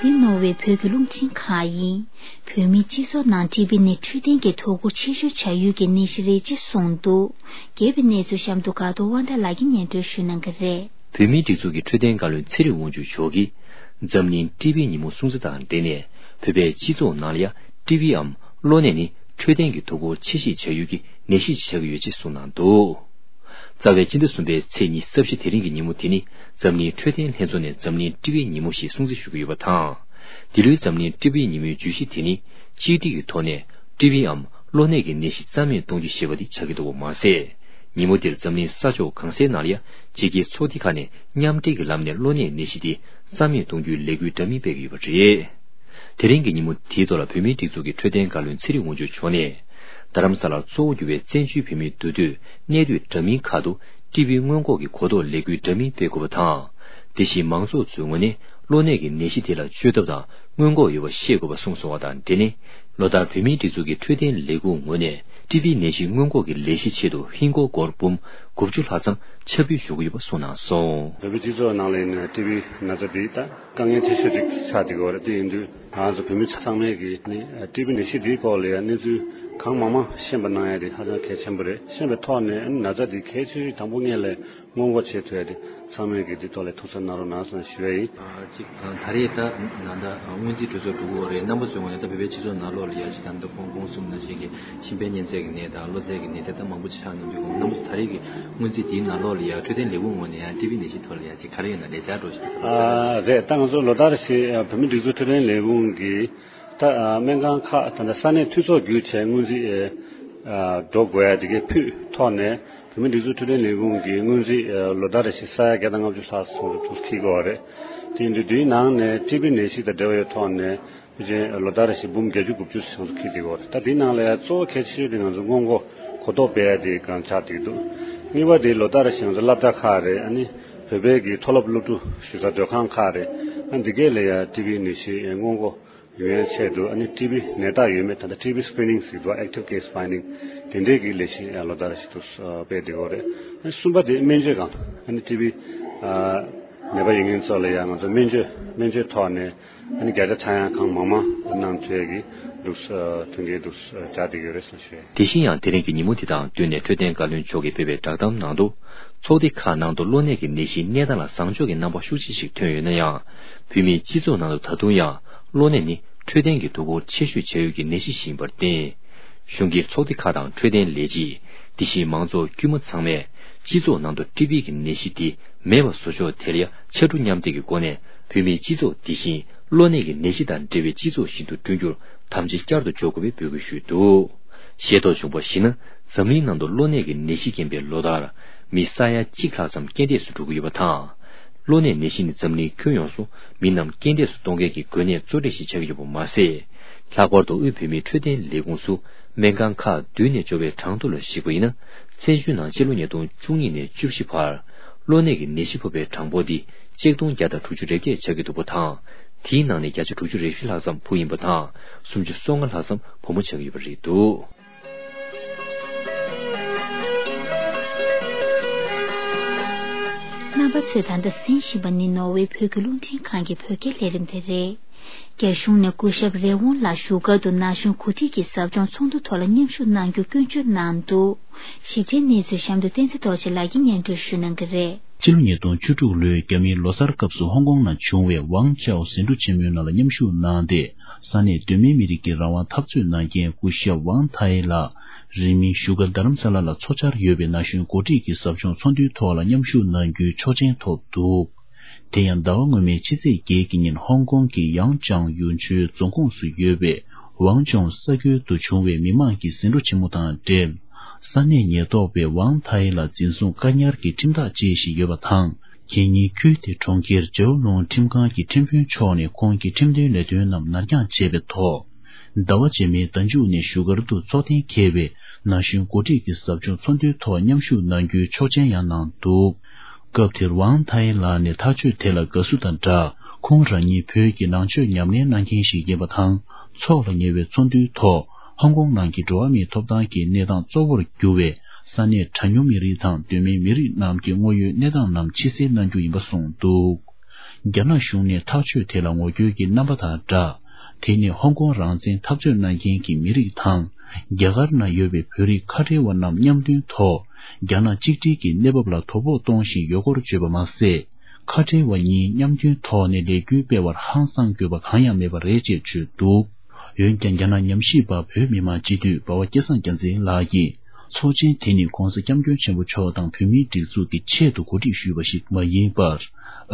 འདི་ནོར་ཝེ་བོད་ཀྱི་རླུང་འཕྲིན་ཁང་ཡིན། བོད་མིའི་སྤྱི་ཚོགས་ནང་ཊི་བི་ནི་འཕྲོད་བསྟེན་གྱི་དོ་ཁུར་ཆེ་ཤོས་བྱ་ཡུལ་གྱི་ནད་གཞི་རེད་ཅེས་གསུངས་འདུག་རྒྱས་པའི་གནས་ཚུལ་གཤམ་དུ་དགའ་གཏོང་དབང་ཐང་ལགས་ཀྱིས་སྙན་སྒྲོན་ཞུ་གནང་གི་རེད། བོད་མིའི་སྒྲིག་འཛུགས་ཀྱི་འཕྲོད་བསྟེན་བཀའ་བློན་ཚེ་རིང་དབང་ཕྱུག་མཆོག་གིས། འཛམ་གླིང་ཊི་བི་ཉིན་མོ་སྲུང་བརྩི་དང་འབྲེལ་ནས། བོད་པའི་སྤྱི་ཚོགས་ནང་ལ་ཡང་ཊི་བིའམ་གློ་ནད་ནི་འཕྲོད་བསྟེན་གྱི་དོ་ཁུར་ཆེ་བཞེས་བྱ་ཡུལ་གྱི་ནད་གཞི་ཞིག་ཆགས་ཀྱི་ཡོད་ཅེས་གསུངས་གནང་འདུག་རྩ་བའི་སྤྱི་ཟླ་གསུམ་པའི་ཚེས་ཉི་ཤུ་རྩ་བཞི་དེ་རིང་གི་ཉིན་མོ་དེ་ནི་འཛམ་གླིང་འཕྲོད་བསྟེན་ལྷན་ཚོགས་ནས་འཛམ་གླིང་ཊི་བི་ཉིན་མོ་ཞེས་སྲུང་བརྩི་ཞུ་གི་ཡོད་པ་དང་། འདི་ལོའི་འཛམ་གླིང་ཊི་བི་ཉིན་མོའི་བརྗོད་གཞི་དེ་ནི་གཅིག་སྒྲིལ་གྱི་ཐོག་ནས་ཊི་བིའམ་གློ་ནད་ཀྱི་ནད་གཞི་རྩ་མེད་གཏོང་རྒྱུ་ཞེས་པ་དེ་ཆགས་ཀྱི་འདུག་པ་མ་ཟད། ཉིན་མོ་དེར་འཛམ་གླིང་ས་ཕྱོགས་གང་སའི་ནང་ལ་ཡང་ཕྱི་རྒྱལ་ཚོགས་སྡེ་ཁག་ནས་མཉམ་འབྲེལ་གྱི་ལམ་ནས་གློ་ནད་ནད་གཞི་དེ་རྩ་མེད་གཏོང་རྒྱུའི་ལས་འགུལ་འདྲ་མིན་སྤེལ་གྱི་ཡོད་པ་རེད། དེ་རིང་གི་ཉིན་མོ་དེའི་ཐོག་ལ་བོད་མིའི་སྒྲིག་འཛུགས་ཀྱི་འཕྲོད་བསྟེན་བཀའ་བློན་ཚེ་རིང་དབང་ཕྱུག་མཆོག་ནས། རྡ་རམ་ས་ལར་གཙོ་བོ་གྱུར་བའི་བཙན་བྱོལ་བོད་མིའི་འདུས་སྡོད་གནས་སྡོད་འདྲ་མིན་ཁག་ཏུ་ཊི་བི་སྔོན་འགོག་གི་གོ་རྟོགས་ལས་འགུལ་འདྲ་མིན་སྤེལ་དགོས་པ་དང་། དེ་བཞིན་མང་ཚོགས་ཚོའི་ངོས་ནས་གློ་ནད་ཀྱི་ནད་གཞི་དེ་ལ་བཅོས་ཐབས་དང་སྔོན་འགོག་ཡོད་པ་ཤེས་དགོས་པ་གསུངས་སོང་བ་དང་འབྲེལ་ནས། ལོ་ལྟར་བོད་མིའི་སྒྲིག་འཛུགས་ཀྱི་འཕྲོད་བསྟེན་ལས་ཁུངས་ངོས་ནས་ཊི་བི་ནད་གཞི་སྔོན་འགོག་གི་ལས་གཞིའི་ཆེད་དུ་ཧིན་སྒོར་སྒོར་འབུམ་དགུ་བཅུ་ལྷག་ཙམ་ཆ་འབུལ་ཞུ་གི་ཡོད་པ་གསུངས་གནང་སོང་། བོད་པའི་སྤྱི་ཚོགས་ནང་ལ་ཡིན་ན་ཊི་བི་ན་ཚ་འདི་ད་དཀའ་ངལ་ཆེ་ཤོས་ཅིག་ཆགས་བསྡད་ཀྱི་ཡོད་རེད། དེ་ཡིན་དུས་ང་ཚོ་བོད་མི་ཚང་མས་ཀྱིས་ནི་ཊི་བི་ནད་གཞི་འདིའི་སྐོར་ལ་ཡང་གནས་ཚུལ་གང་མང་མང་ཤེས་པ་གནང་ཡ་དེ་ཧ་ཅང་གལ་ཆེན་པོ་རེད། ཤེས་པའི་ཐོག་ནས་ན་ཚ་འདི་གལ་ཆེ་ཤོས་དང་པོ་ངེས་ལས་སྔོན་འགོག་བྱེད་ཐུབ་ཡ་དེ་ཚང་མས་ཀྱིས་འདི་ཐོག་ལ་ཐུགས་གཟབ་གནང་རོགས་གནང་ཟེར་ཞུ་ཡ་ཡིན། ཨ་གཅིག་ཨ་ད་རེས་ད་ད་ལྟ་སྔོན་རྩིས་གྲོས་ཚོགས་འགྲོ་གི་ཡོད་རེད། རྣམ་པ་ཚོའི་ངོས་ནས་ད་བོད་པའི་སྤྱི་ཚོགས་ནང་ལོགས་ལ་ཡ་ཅིག་ད་ལྟ་ཁོང་ཁོང་གསུམ་ནང་བཞིན་གྱི་མཆིན་པའི་གཉན་ཚད་ཀྱི་ནད་དང་གློ་ཚད་ཀྱི་ནད་དེ་ད་མང་པོ་ཆགས་གནང་དུས་ཁོང་རྣམ་པ་ཚོ་ད་རེས་ཀྱི་སྔོན་རྩིས་དེའི་ནང་ལོགས་ལ་ཡ་འཕྲོད་བསྟེན་ལས་ཁུངས་ངོས་ནས་ཡ་ཊི་བི་ནད་གཞི་ཐོག་ལ་ཡ་ཅིག་ག་རེ་ཡོད་ན་ལས་འཆར་འགྲོ་བཞིན་ད་ག་རེ་ཡོད། ཨ་རེད། ད་ང་ཚོ་ལོ་ལྟར་བཞིན་བོད་མིའི་སྒྲིག་འཛུགས་འཕྲོད་བསྟེན་ལས་ཁུངས་ཀྱིས་ད་སྨན་ཁང་ཁག་ད་ལྟ་ས་གནས་འཐུས་ཚོགས་བརྒྱུད་བྱས་སྔོན་རྩིས་འགྲོ་དགོས་ཡ་དེ་གའི་ཕུད་ཐོག་ནས། བོད་མིའི་སྒྲིག་འཛུགས་འཕྲོད་བསྟེན་ལས་ཁུངས་ཀྱིས་སྔོན་རྩིས་ལོ་ལྟར་རེ་བཞིན་ས་ཡ་བརྒྱ་དང་ལྔ་བཅུ་ལྷག་ཙམ་འདུག་འཁྱེར་གྱི་ཡོད་རེད། དེ་ཡིན་དུས་འདིའི་ནང་ནས་ཊི་བི་ནད་གཞི་དང་འབྲེལ་བའི་ཐོག་ནས་ཕལ་ཆེར་ལོ་ལྟར་རེ་བཞིན་འབུམ་བརྒྱད་ཅུ་དགུ་བཅུ་ཙམ་འཁྱེར་བསྡད་ཀྱི་ཡོད་རེད། ད་འདིའི་ནང་ལ་ཡང་གཙོ་བོ་གལ་ཆེ་ཤོས་དེ་ང་ཚོ་སྔོན་འགོག་གོ་རྟོགས་སྤེལ་ཡ་དེ་གང་ཆགས་བསྡད་ཀྱི་འདུག་གཉིས་པ་དེ་ལོ་ལྟར་རེ་བཞིན་ང་ཚོ་སློབ་གྲྭ་ཁག་རེད། ཨ་ནི་བོད་པའི་གི་མཐོ་སློབ་སློབ་ཕྲུག་གཞིས་ཆགས་སྡོད་ཁང་ཁག་རེད། ཨ་འདི་གས་ལ་ཡང་ཊི་བི་ནད་གཞི་སྔོན་འགོག་ཡོང་ཡ་ཆེད་དུ་ཨ་ནི་ཊི་བི་ནད་རྟགས་ཡོད་མེད། ད་ལྟ་ཊི་བི་སི་ཀི་རི་ནིང་ཟེར་འདུག active case finding དེ་འདྲས་ཀྱི་ལས་གཞི་ལོ་ལྟར་ཞིག་ཏུ་སྤེལ་བསྡད་ཡོད་རེད། ཨ་གསུམ་པ་དེ་སྨན་བཅོས་སྒང་ཨ་ནི་ཊི་བི་ནད་པ་ཡིན་མཁན་ཚོ་ལ་ཡང་ང་ཚོ་སྨན་བཅོས་སྨན་བཅོས་ཐོག་ནས་ཨ་ནི་བརྒྱ་ཆ་ཚར་ཡང་གང་མང་མང་གནང་ཐུབ་ཡ་གི་འདུག་མཐུན་རྐྱེན་འདུག་སྦྱར་བསྡད་ཡོད་རེད་ཟེར་ཞུ། དེ་བཞིན་ཡང་དེ་རིང་གི་ཉིན་མོ་འདི་དང་བསྟུན་ནས་འཕྲོད་བསྟེན་བཀའ་བློན་མཆོག་གིས་སྤེལ་བའི་བསྒྲགས་གཏམ་ནང་དུ། ཚོགས་སྡེ་ཁག་ནང་དུ་གློ་ནད་ཀྱི་ནད་གཞིའི་གནས་སྟངས་ལ་བཟང་ཕྱོགས་ཀྱི་རྣམ་པ་ཤུགས་ཆེ་ཞིག་ཐོན་ཡོད་ན་ཡང་། བོད་མིའི་སྤྱི་ཚོགས་ནང་དུ་ད་དུང་ཡང་གློ་ནད་ནི་འཕྲོད་བསྟེན་གྱི་དོ་ཁུར་ཆེ་ཤོས་བྱ་ཡུལ་གྱི་ནད་གཞི་ཞིག་ཡིན་པར་བརྟེན། གཞུང་གི་ཚོགས་སྡེ་ཁག་དང་འཕྲོད་བསྟེན་ལས་བྱེད། དེ་བཞིན་མང་ཚོགས་དཀྱུས་མ་ཚང་མས། སྤྱི་ཚོགས་ནང་དུ་ཊི་བི་གི་ནད་གཞི་དེ་མེད་པ་བཟོ་ཕྱོགས་དེར་ཡང་ཕྱར་གྲུ་མཉམ་འདེགས་ཀྱི་སྒོ་ནས་བོད་མིའི་སྤྱི་ཚོགས་འདི་བཞིན་གློ་ནད་ཀྱི་ནད་གཞི་དང་འབྲེལ་བའི་སྤྱི་ཚོགས་ཤིག་ཏུ་བསྐྲུན་རྒྱུར་དམ་བཅའ་བསྐྱར་དུ་འཇོག་དགོས་པའི་འབོད་སྐུལ་ཞུས་འདུག། ཤེས་རྟོགས་བྱུང་བར་གཞིགས་ན། འཛམ་གླིང་ནང་དུ་གློ་ནད་ཀྱི་ནད་གཞི་རྐྱེན་པས་ལོ་ལྟར་མི་ས་ཡ་གཅིག་ལྷག་ཙམ་རྐྱེན་འདས་སུ་འགྲོ་གི་ཡོད་པ་དང་། གློ་ནད་ནད་གཞི་ནི་འཛམ་གླིང་ཁྱོན་ཡོངས་སུ་མི་རྣམས་རྐྱེན་འདས་སུ་གཏོང་མཁན་གྱི་འགོས་ནད་གཙོ་གྲས་ཤིག་ཆགས་ཀྱི་ཡོད་པ་མ་ཟད། ལྷག་པར་དུ་དབུས་བོད་མིའི་འཕྲོད་བསྟེན་ལས་ཁུངས་སུ་སྨན་ཁང་ཁག་བདུན་ནས་འབྱོར་བའི་གྲངས་ཐོ་ལ་གཞིགས་པ་ཡིན་ན། ཚེས་ཇུས་ནང་ཕྱི་ལོ་ཉིས་སྟོང་བཅུ་གཉིས་ནས་བཅུ་བཞི་བར་གློ་ནད་ཀྱི་ནད་གཞི་ཕོག་པའི་གྲངས་འབོར་འདི་ཆིག་སྟོང་བརྒྱ་དང་དྲུག་ཅུ་རེ་བརྒྱད་ཆགས་ཀྱི་འདུག་པ་དང་། དེའི་ནང་ནས་བརྒྱ་ཆ་དྲུག་ཅུ་རེ་བཞི་ལྷག་ཙམ་བུ་ཡིན་པ་དང་། སུམ་ཅུ་སོ་ལྔ་ལྷག་ཙམ་བུ་མོ་ཆགས་ཀྱི་ཡོད་པ་རེད་འདུག། རྣམ་པ་ཚོས་ད་ལྟ་གསན་བཞིན་པ་ནི་ནོར་ཝེ་བོད་ཀྱི་རླུང་འཕྲིན་ཁང་གི་བོད་སྐད་ལས་རིམ་དེ་རེད། རྒྱ་གཞུང་ནས་སྐུ་ཞབས་རེ་ཝུན་ལ་བཞུགས་སྒར་དུ་ན་གཞོན་གོ་སྒྲིག་གི་ཟབ་སྦྱོང་ཚོགས་འདུ་ཐོག་ལ་མཉམ་ཞུགས་གནང་རྒྱུ་སྐྱོན་བརྗོད་གནང་འདུག། ཞིབ་ཕྲའི་གནས་ཚུལ་གཤམ་དུ་བསྟན་འཛིན་རྡོ་རྗེ་ལགས་ཀྱིས་སྙན་སྒྲོན་ཞུ་གནང་གི་རེད། ཕྱི་ལོ་ཉིས་སྟོང་བཅུ་དྲུག་ལོའི་རྒྱ་མིའི་ལོ་གསར་སྐབས་སུ་ཧོང་ཀོང་ནང་བྱུང་བའི་ཝང་ཅའོ་ཟིང་འཁྲུག་ཆེན་མོའི་ནང་ལ་མཉམ་ཞུགས་གནང་སྟེ། ས་གནས་གདོད་མའི་མི་རིགས་ཀྱི་རང་དབང་འཐབ་རྩོད་གནང་མཁན་སྐུ་ཞབས་ཝང་ཐའེ་ལགས་རིང་མིན་བཞུགས་སྒར་རྡ་རམ་ས་ལ་ལ་འཚོ་འཆར་ཡོད་པའི་ན་གཞོན་གོ་སྒྲིག་གི་ཟབ་སྦྱོང་ཚོགས་འདུའི་ཐོག་ལ་མཉམ་ཞུགས་གནང་རྒྱུའི་ཆོག་མཆན་ཐོབ་འདུག། དེ་ཡང་ཟླ་བ་སྔོན་མའི་ཕྱི་ཚེས་བརྒྱད་ཀྱི་ཉིན་ཧོང་ཀོང་གི་ཡང་ཅང་ཡུན་ཆུའི་རྫོང་ཁོངས་སུ་ཡོད་པའི་ཝང་ཅོང་ས་ཁུལ་དུ་བྱུང་བའི་མི་མང་གི་ཟིང་འཁྲུག་ཆེན་མོ་དང་འབྲེལ། ས་གནས་ཉེན་རྟོག་པས་ཝང་ཐའེ་ལ་འཛིན་བཟུང་བཀག་ཉར་གྱི་ཁྲིམས་ཐག་བཅད་བཞིན་ཡོད་པ་དང་། ཁེ་ཉིན་ཁུལ་དེ་གྲོང་ཁྱེར་ཇའོ་ལུང་ཁྲིམས་ཁང་གི་ཁྲིམས་དཔོན་མཆོག་ནས་ཁོང་གི་ཁྲིམས་དོན་ལས་དོན་རྣམས་ནར་འགྱངས་བྱས་པའི་ཐོག། ཟླ་བ་རྗེས་མའི་ཟླ་མཇུག་ནས་བཞུགས་སྒར་དུ་འཚོགས་གཏན་འཁེལ་བའི་ན་གཞོན་འགོ་ཁྲིད་ཀྱི་ཟབ་སྦྱོང་ཚོགས་འདུའི་ཐོག་མཉམ་ཞུགས་གནང་རྒྱུའི་ཆོག་མཆན་ཡང་གནང་འདུག། སྐབས་དེར་ཝང་ཐའེ་ལགས་ནས་ཐག་གཅོད་དེ་ལ་དགའ་བསུ་དང་སྦྲགས། ཁོང་རང་ཉིད་བོད་ཀྱི་ནང་ཆོས་ཉམས་ལེན་གནང་མཁན་ཞིག་ཡིན་པ་དང་། འཚོགས་ལ་ཉེ་བའི་ཚོགས་འདུའི་ཐོག་ཧོང་ཀོང་ནང་གི་འགྲོ་བ་མིའི་ཐོབ་ཐང་གི་གནས་སྟངས་གཙོ་བོར་གྱུར་བའི་ས་གནས་གྲངས་ཉུང་མི་རིགས་དང་གདོད་མའི་མི་རིགས་རྣམས་ཀྱི་དངོས་ཡོད་གནས་སྟངས་རྣམས་ཕྱི་གསལ་གནང་རྒྱུ་ཡིན་པ་གསུངས་འདུག། རྒྱ་ནག་གཞུང་ནས་ཐག་གཅོད་དེ་ལ་ངོ་རྒོལ་གྱི་རྣམ་པ་དང་སྦྲགས། དེ་ནི་ཧོང་ཀོང་རང་བཙན་འཐབ་རྩོད་གནང་མཁན་གྱི་མི་རིགས་དང་། རྒྱ་གར་ནང་ཡོད་པའི་བོད་རིགས་ཁ་བྲལ་བ་རྣམས་མཉམ་མཐུན་ཐོག་རྒྱ་ནག་གཅིག་སྒྲིལ་གྱི་གནས་བབ་ལ་དོ་ཕོག་གཏོང་བཞིན་ཡོད་སྐོར་བརྗོད་པ་མ་ཟད། ཁ་བྲལ་བ་གཉིས་མཉམ་མཐུན་ཐོག་ནས་ལས་འགུལ་སྤེལ་བར་ཧང་སངས་དགོས་པ་གང་ཡང་མེད་པ་རེད་ཅེས་བརྗོད་འདུག། འོན་ཀྱང་། རྒྱ་ནག་ཉམས་ཞིབ་པ་བོད་མི་མང་སྤྱི་འཐུས་འབའ་བ་སྐལ་བཟང་རྒྱལ་མཚན་ལགས་ཀྱིས། ཚོགས་ཆེན་དེ་ནི་༸གོང་ས་༸སྐྱབས་མགོན་ཆེན་པོ་མཆོག་དང་བོད་མིའི་སྒྲིག་འཛུགས་ཀྱི་ཆེད་དུ་གོ་སྒྲིག་ཞུས་པ་ཞིག་མ་ཡིན་པར།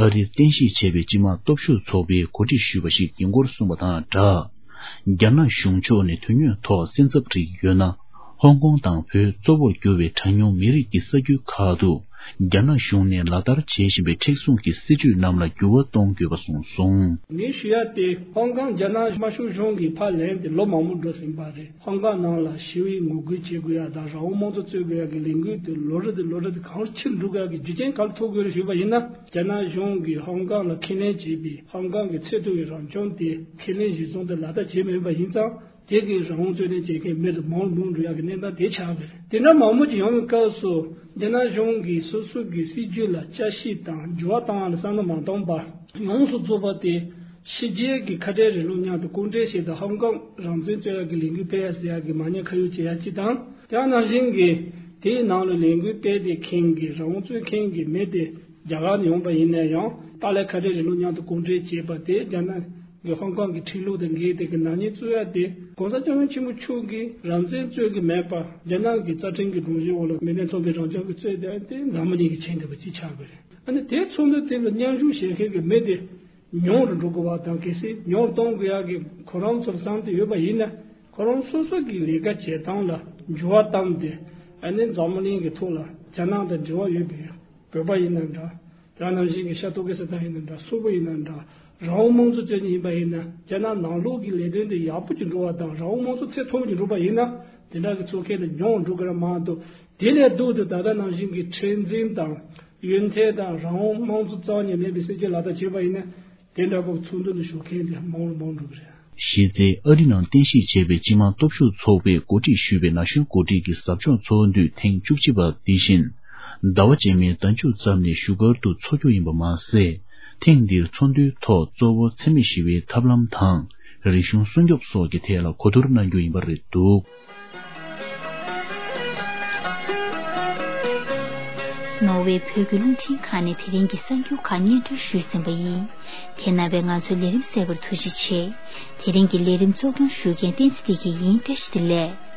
ཨ་རིར་རྟེན་གཞི་བྱས་པའི་སྤྱི་དམངས་སྟོབས་ཤུགས་ཚོགས་པས་གོ་སྒྲིག་ཞུས་པ་ཞིག་ཡིན་སྐོར་གསུངས་པ་དང་སྦྲགས། རྒྱ་ནག་གཞུང་ཕྱོགས་ནས་དོན་དངོས་ཐོག་སེམས་འཚབ་རིགས་ཡོད་ན། ཧོང་ཀོང་དང་བོད་གཙོ་བོར་གྱུར་བའི་གྲངས་ཉུང་མི་རིགས་ཀྱི་ས་ཁུལ་ཁག་ཏུ། རྒྱ་ནག་གཞུང་ནས་ལག་བསྟར་བྱེད་བཞིན་པའི་མཁྲེགས་བཟུང་གི་སྲིད་བྱུས་རྣམས་ལ་འགྱུར་བ་གཏོང་དགོས་པ་གསུངས་སོང་། ངས་ཞུ་ཡ་དེ་ཧོང་ཀོང་རྒྱ་ནག་དམར་ཤོག་གཞུང་གིས་ཕར་ལེན་ཏེ་ལོ་མང་པོ་འགྲོ་ཟིན་པ་རེད། ཧོང་ཀོང་ནང་ལ་ཞི་བའི་ངོ་རྒོལ་བྱེད་དགོས་ཡ་དང་རང་དབང་དམངས་གཙོ་རྩོད་དགོས་ཡ་གི་ལས་འགུལ་དེ་ལོ་རེ་དང་ལོ་རེ་དང་གང་ཕྱིར་འགྲོ་དགོས་ཡ་གི་རྒྱུ་རྐྱེན་ག་རེ་ཐུག་དགོས་རེད་ཞུས་པ་ཡིན་ན། རྒྱ་ནག་གཞུང་གིས་ཧོང་ཀོང་ལ་ཁས་ལེན་བྱས་པའི་ཧོང་ཀོང་གི་ཚད་མཐོ་བའི་རང་སྐྱོང་དེ་ཁས་ལེན་གཞིར་བཟུང་དེ་ལག་བསྟར་བྱས་མེད་པ་ཡིན་ཙང་། དེ་གིས་རང་དབང་རྩོད་ལེན་བྱེད་མཁན་མི་དེ་མང་རུ་མང་རུ་འགྲོ་ཡག་གི་གནས་སྟངས་དེ་ཆགས་པ་རེད། དེ་འདྲ་མང་པོ་ཅིག་ཡོང་བའི་སྐབས་སུ་རྒྱ་ནག་གཞུང་གིས་སོ་སོ་གི་སྲིད་ཇུས་ལ་དཔྱད་ཞིབ་དང་འགྱུར་བ་བཏང་བ་ལ་བསམ་བློ་མ་གཏོང་པར་ཡོངས་སུ་རྫོགས་པ་དེ་ཕྱི་རྒྱལ་གྱི་ཁ་བྲལ་རིང་ལུགས་མཉམ་དུ་སྐུ་འབྲེལ་བྱས་ཏེ་ཧོང་ཀོང་རང་བཙན་རྩོད་ཡག་གི་ལས་འགུལ་སྤེལ་ཡག་ཟེར་ཡག་གི་མ་ཉེས་ཁ་གཡོགས་བྱེད་ཡག་ཅིག་དང་། དེ་ནང་བཞིན་གྱི་དེའི་ནང་ལ་ལས་འགུལ་སྤེལ་ཏེ་མཁན་གྱི་རང་དབང་རྩོད་མཁན་གྱི་མི་དེ་རྒྱ་གར་ནས་ཡོང་པ་ཡིན་ན་ཡང་ཏཱ་ལའི་ཁ་བྲལ་རིང་ལུགས་མཉམ་དུ་སྐུ་འབྲེལ་བྱས་པ་དེ་རྒྱ་ནག་གི་ཧོང་ཀོང་གི་ཁྲིམས་ལུགས་དང་འགལ་ཏེ་གི་ནག་ཉེས་བཙུགས་ཡ་དེ་༸གོང་ས་༸སྐྱབས་མགོན་ཆེན་པོ་མཆོག་གིས་རང་བཙན་རྩོད་ཀྱི་མེད་པ་རྒྱ་ནག་གི་རྩ་ཁྲིམས་ཀྱི་སྒྲོམ་གཞི་འོག་ལ་མི་དོན་མཚུངས་པའི་རང་སྐྱོང་གི་རྩོད་དེ་དེ་འཛམ་བུ་གླིང་གི་ཆེན་འདི་པ་ཅིག་ཆགས་པ་རེད། ཨ་ནི་དེ་ཚོགས་འདུ་དེ་ལ་མཉམ་ཞུགས་བྱེད་མཁན་གྱི་མི་དེ་ཉུང་རུ་འགྲོ་དགོས་པ་དང་གལ་སྲིད་ཉུང་རུ་གཏོང་དགོས་ཡག་གི་ཁོ་རང་ཚོར་བསམ་སྟེ་ཡོད་པ་ཡིན་ན་ཁོ་རང་སོ་སོ་གི་ལས་ཀ་བྱེད་སྟངས་ལ་འགྱུར་བ་བཏང་སྟེ་ཨ་ནི་འཛམ་བུ་གླིང་གི་ཐོག་ལ་རྒྱ་ནག་དང་འབྲེལ་བ་ཡོད་པའི་བོད་པ་ཡིན་ན་འདྲ། དེ་ནང་བཞིན་གྱི་ཤར་ཏུར་ཀི་སི་ཐན་ཡིན་ན་འདྲ། སོག་པོ་ཡིན་ན་འདྲ། རང་དབང་དམངས་གཙོ་བཅོས་ཉིན་ཡིན་པ་ཡིན་ན་རྒྱ་ནག་ནང་ལོགས་ཀྱི་ལས་དོན་དེ་ཡག་པོ་ཅིག་འགྲོ་བ་དང་རང་དབང་དམངས་གཙོ་ཚད་མཐོ་པོ་ཅིག་འགྲོ་བ་ཡིན་ན་དེ་འདྲ་གི་ཚོགས་ཁག་དེ་ཉུང་འགྲོ་གི་རེད་མ་གཏོགས། དེ་ལས་ལྡོག་སྟེ་ད་ལྟ་ནང་བཞིན་གྱི་མཁྲེགས་འཛིན་དང་ཡོན་ཐལ་དང་རང་དབང་དམངས་གཙོ་རྩ་བ་ཉིད་མེད་པའི་སྲིད་ཇུས་ལག་བསྟར་བྱས་པ་ཡིན་ན་དེ་འདྲ་པོ་ཚོགས་འདུ་ལ་ཞུགས་མཁན་དེ་མང་རུ་མང་འགྲོ་གི་རེད། གཞི་རྩའི་ཨ་རི་ནང་རྟེན་གཞི་བྱས་པའི་སྤྱི་དམངས་སྟོབས་ཤུགས་ཚོགས་པས་གོ་སྒྲིག་ཞུས་པའི་ན་གཞོན་འགོ་ཁྲིད་ཀྱི་ཟབ་སྦྱོང་ཚོགས་འདུ་ཐེངས་བཅུ་གཅིག་པ་འདི་བཞིན། ཟླ་བ་རྗེས་མའི་ཟླ་མཇུག་ཙམ་ནས་བཞུགས་སྒར་དུ་འཚོགས་རྒྱུ་ཡིན་པ་མ་ཟད། ཐེངས་འདིར་ཚོགས་འདུའི་ཐོག་གཙོ་བོ་འཚེ་མེད་ཞི་བའི་ཐབས་ལམ་དང་། རིག་གཞུང་སྲུང་སྐྱོབ་སོགས་ཀྱི་ཐད་ལ་གོ་བསྡུར་གནང་རྒྱུ་ཡིན་པ་རེད་འདུག། ནོར་ཝེ་བོད་ཀྱི་རླུང་འཕྲིན་ཁང་ནས་དེ་རིང་གི་གསར་འགྱུར་ཁག་སྙན་སྒྲོན་ཞུས་ཟིན་པ་ཡིན། ཁྱེད་རྣམ་པས་ང་ཚོའི་ལས་རིམ་གསན་པར་ཐུགས་རྗེ་ཆེ། དེ་རིང་གི་ལས་རིམ་གཙོ་སྐྱོང་ཞུ་མཁན་བསྟན་འཛིན་བདེ་སྐྱིད་ཡིན། བཀྲ་ཤིས་བདེ་ལེགས།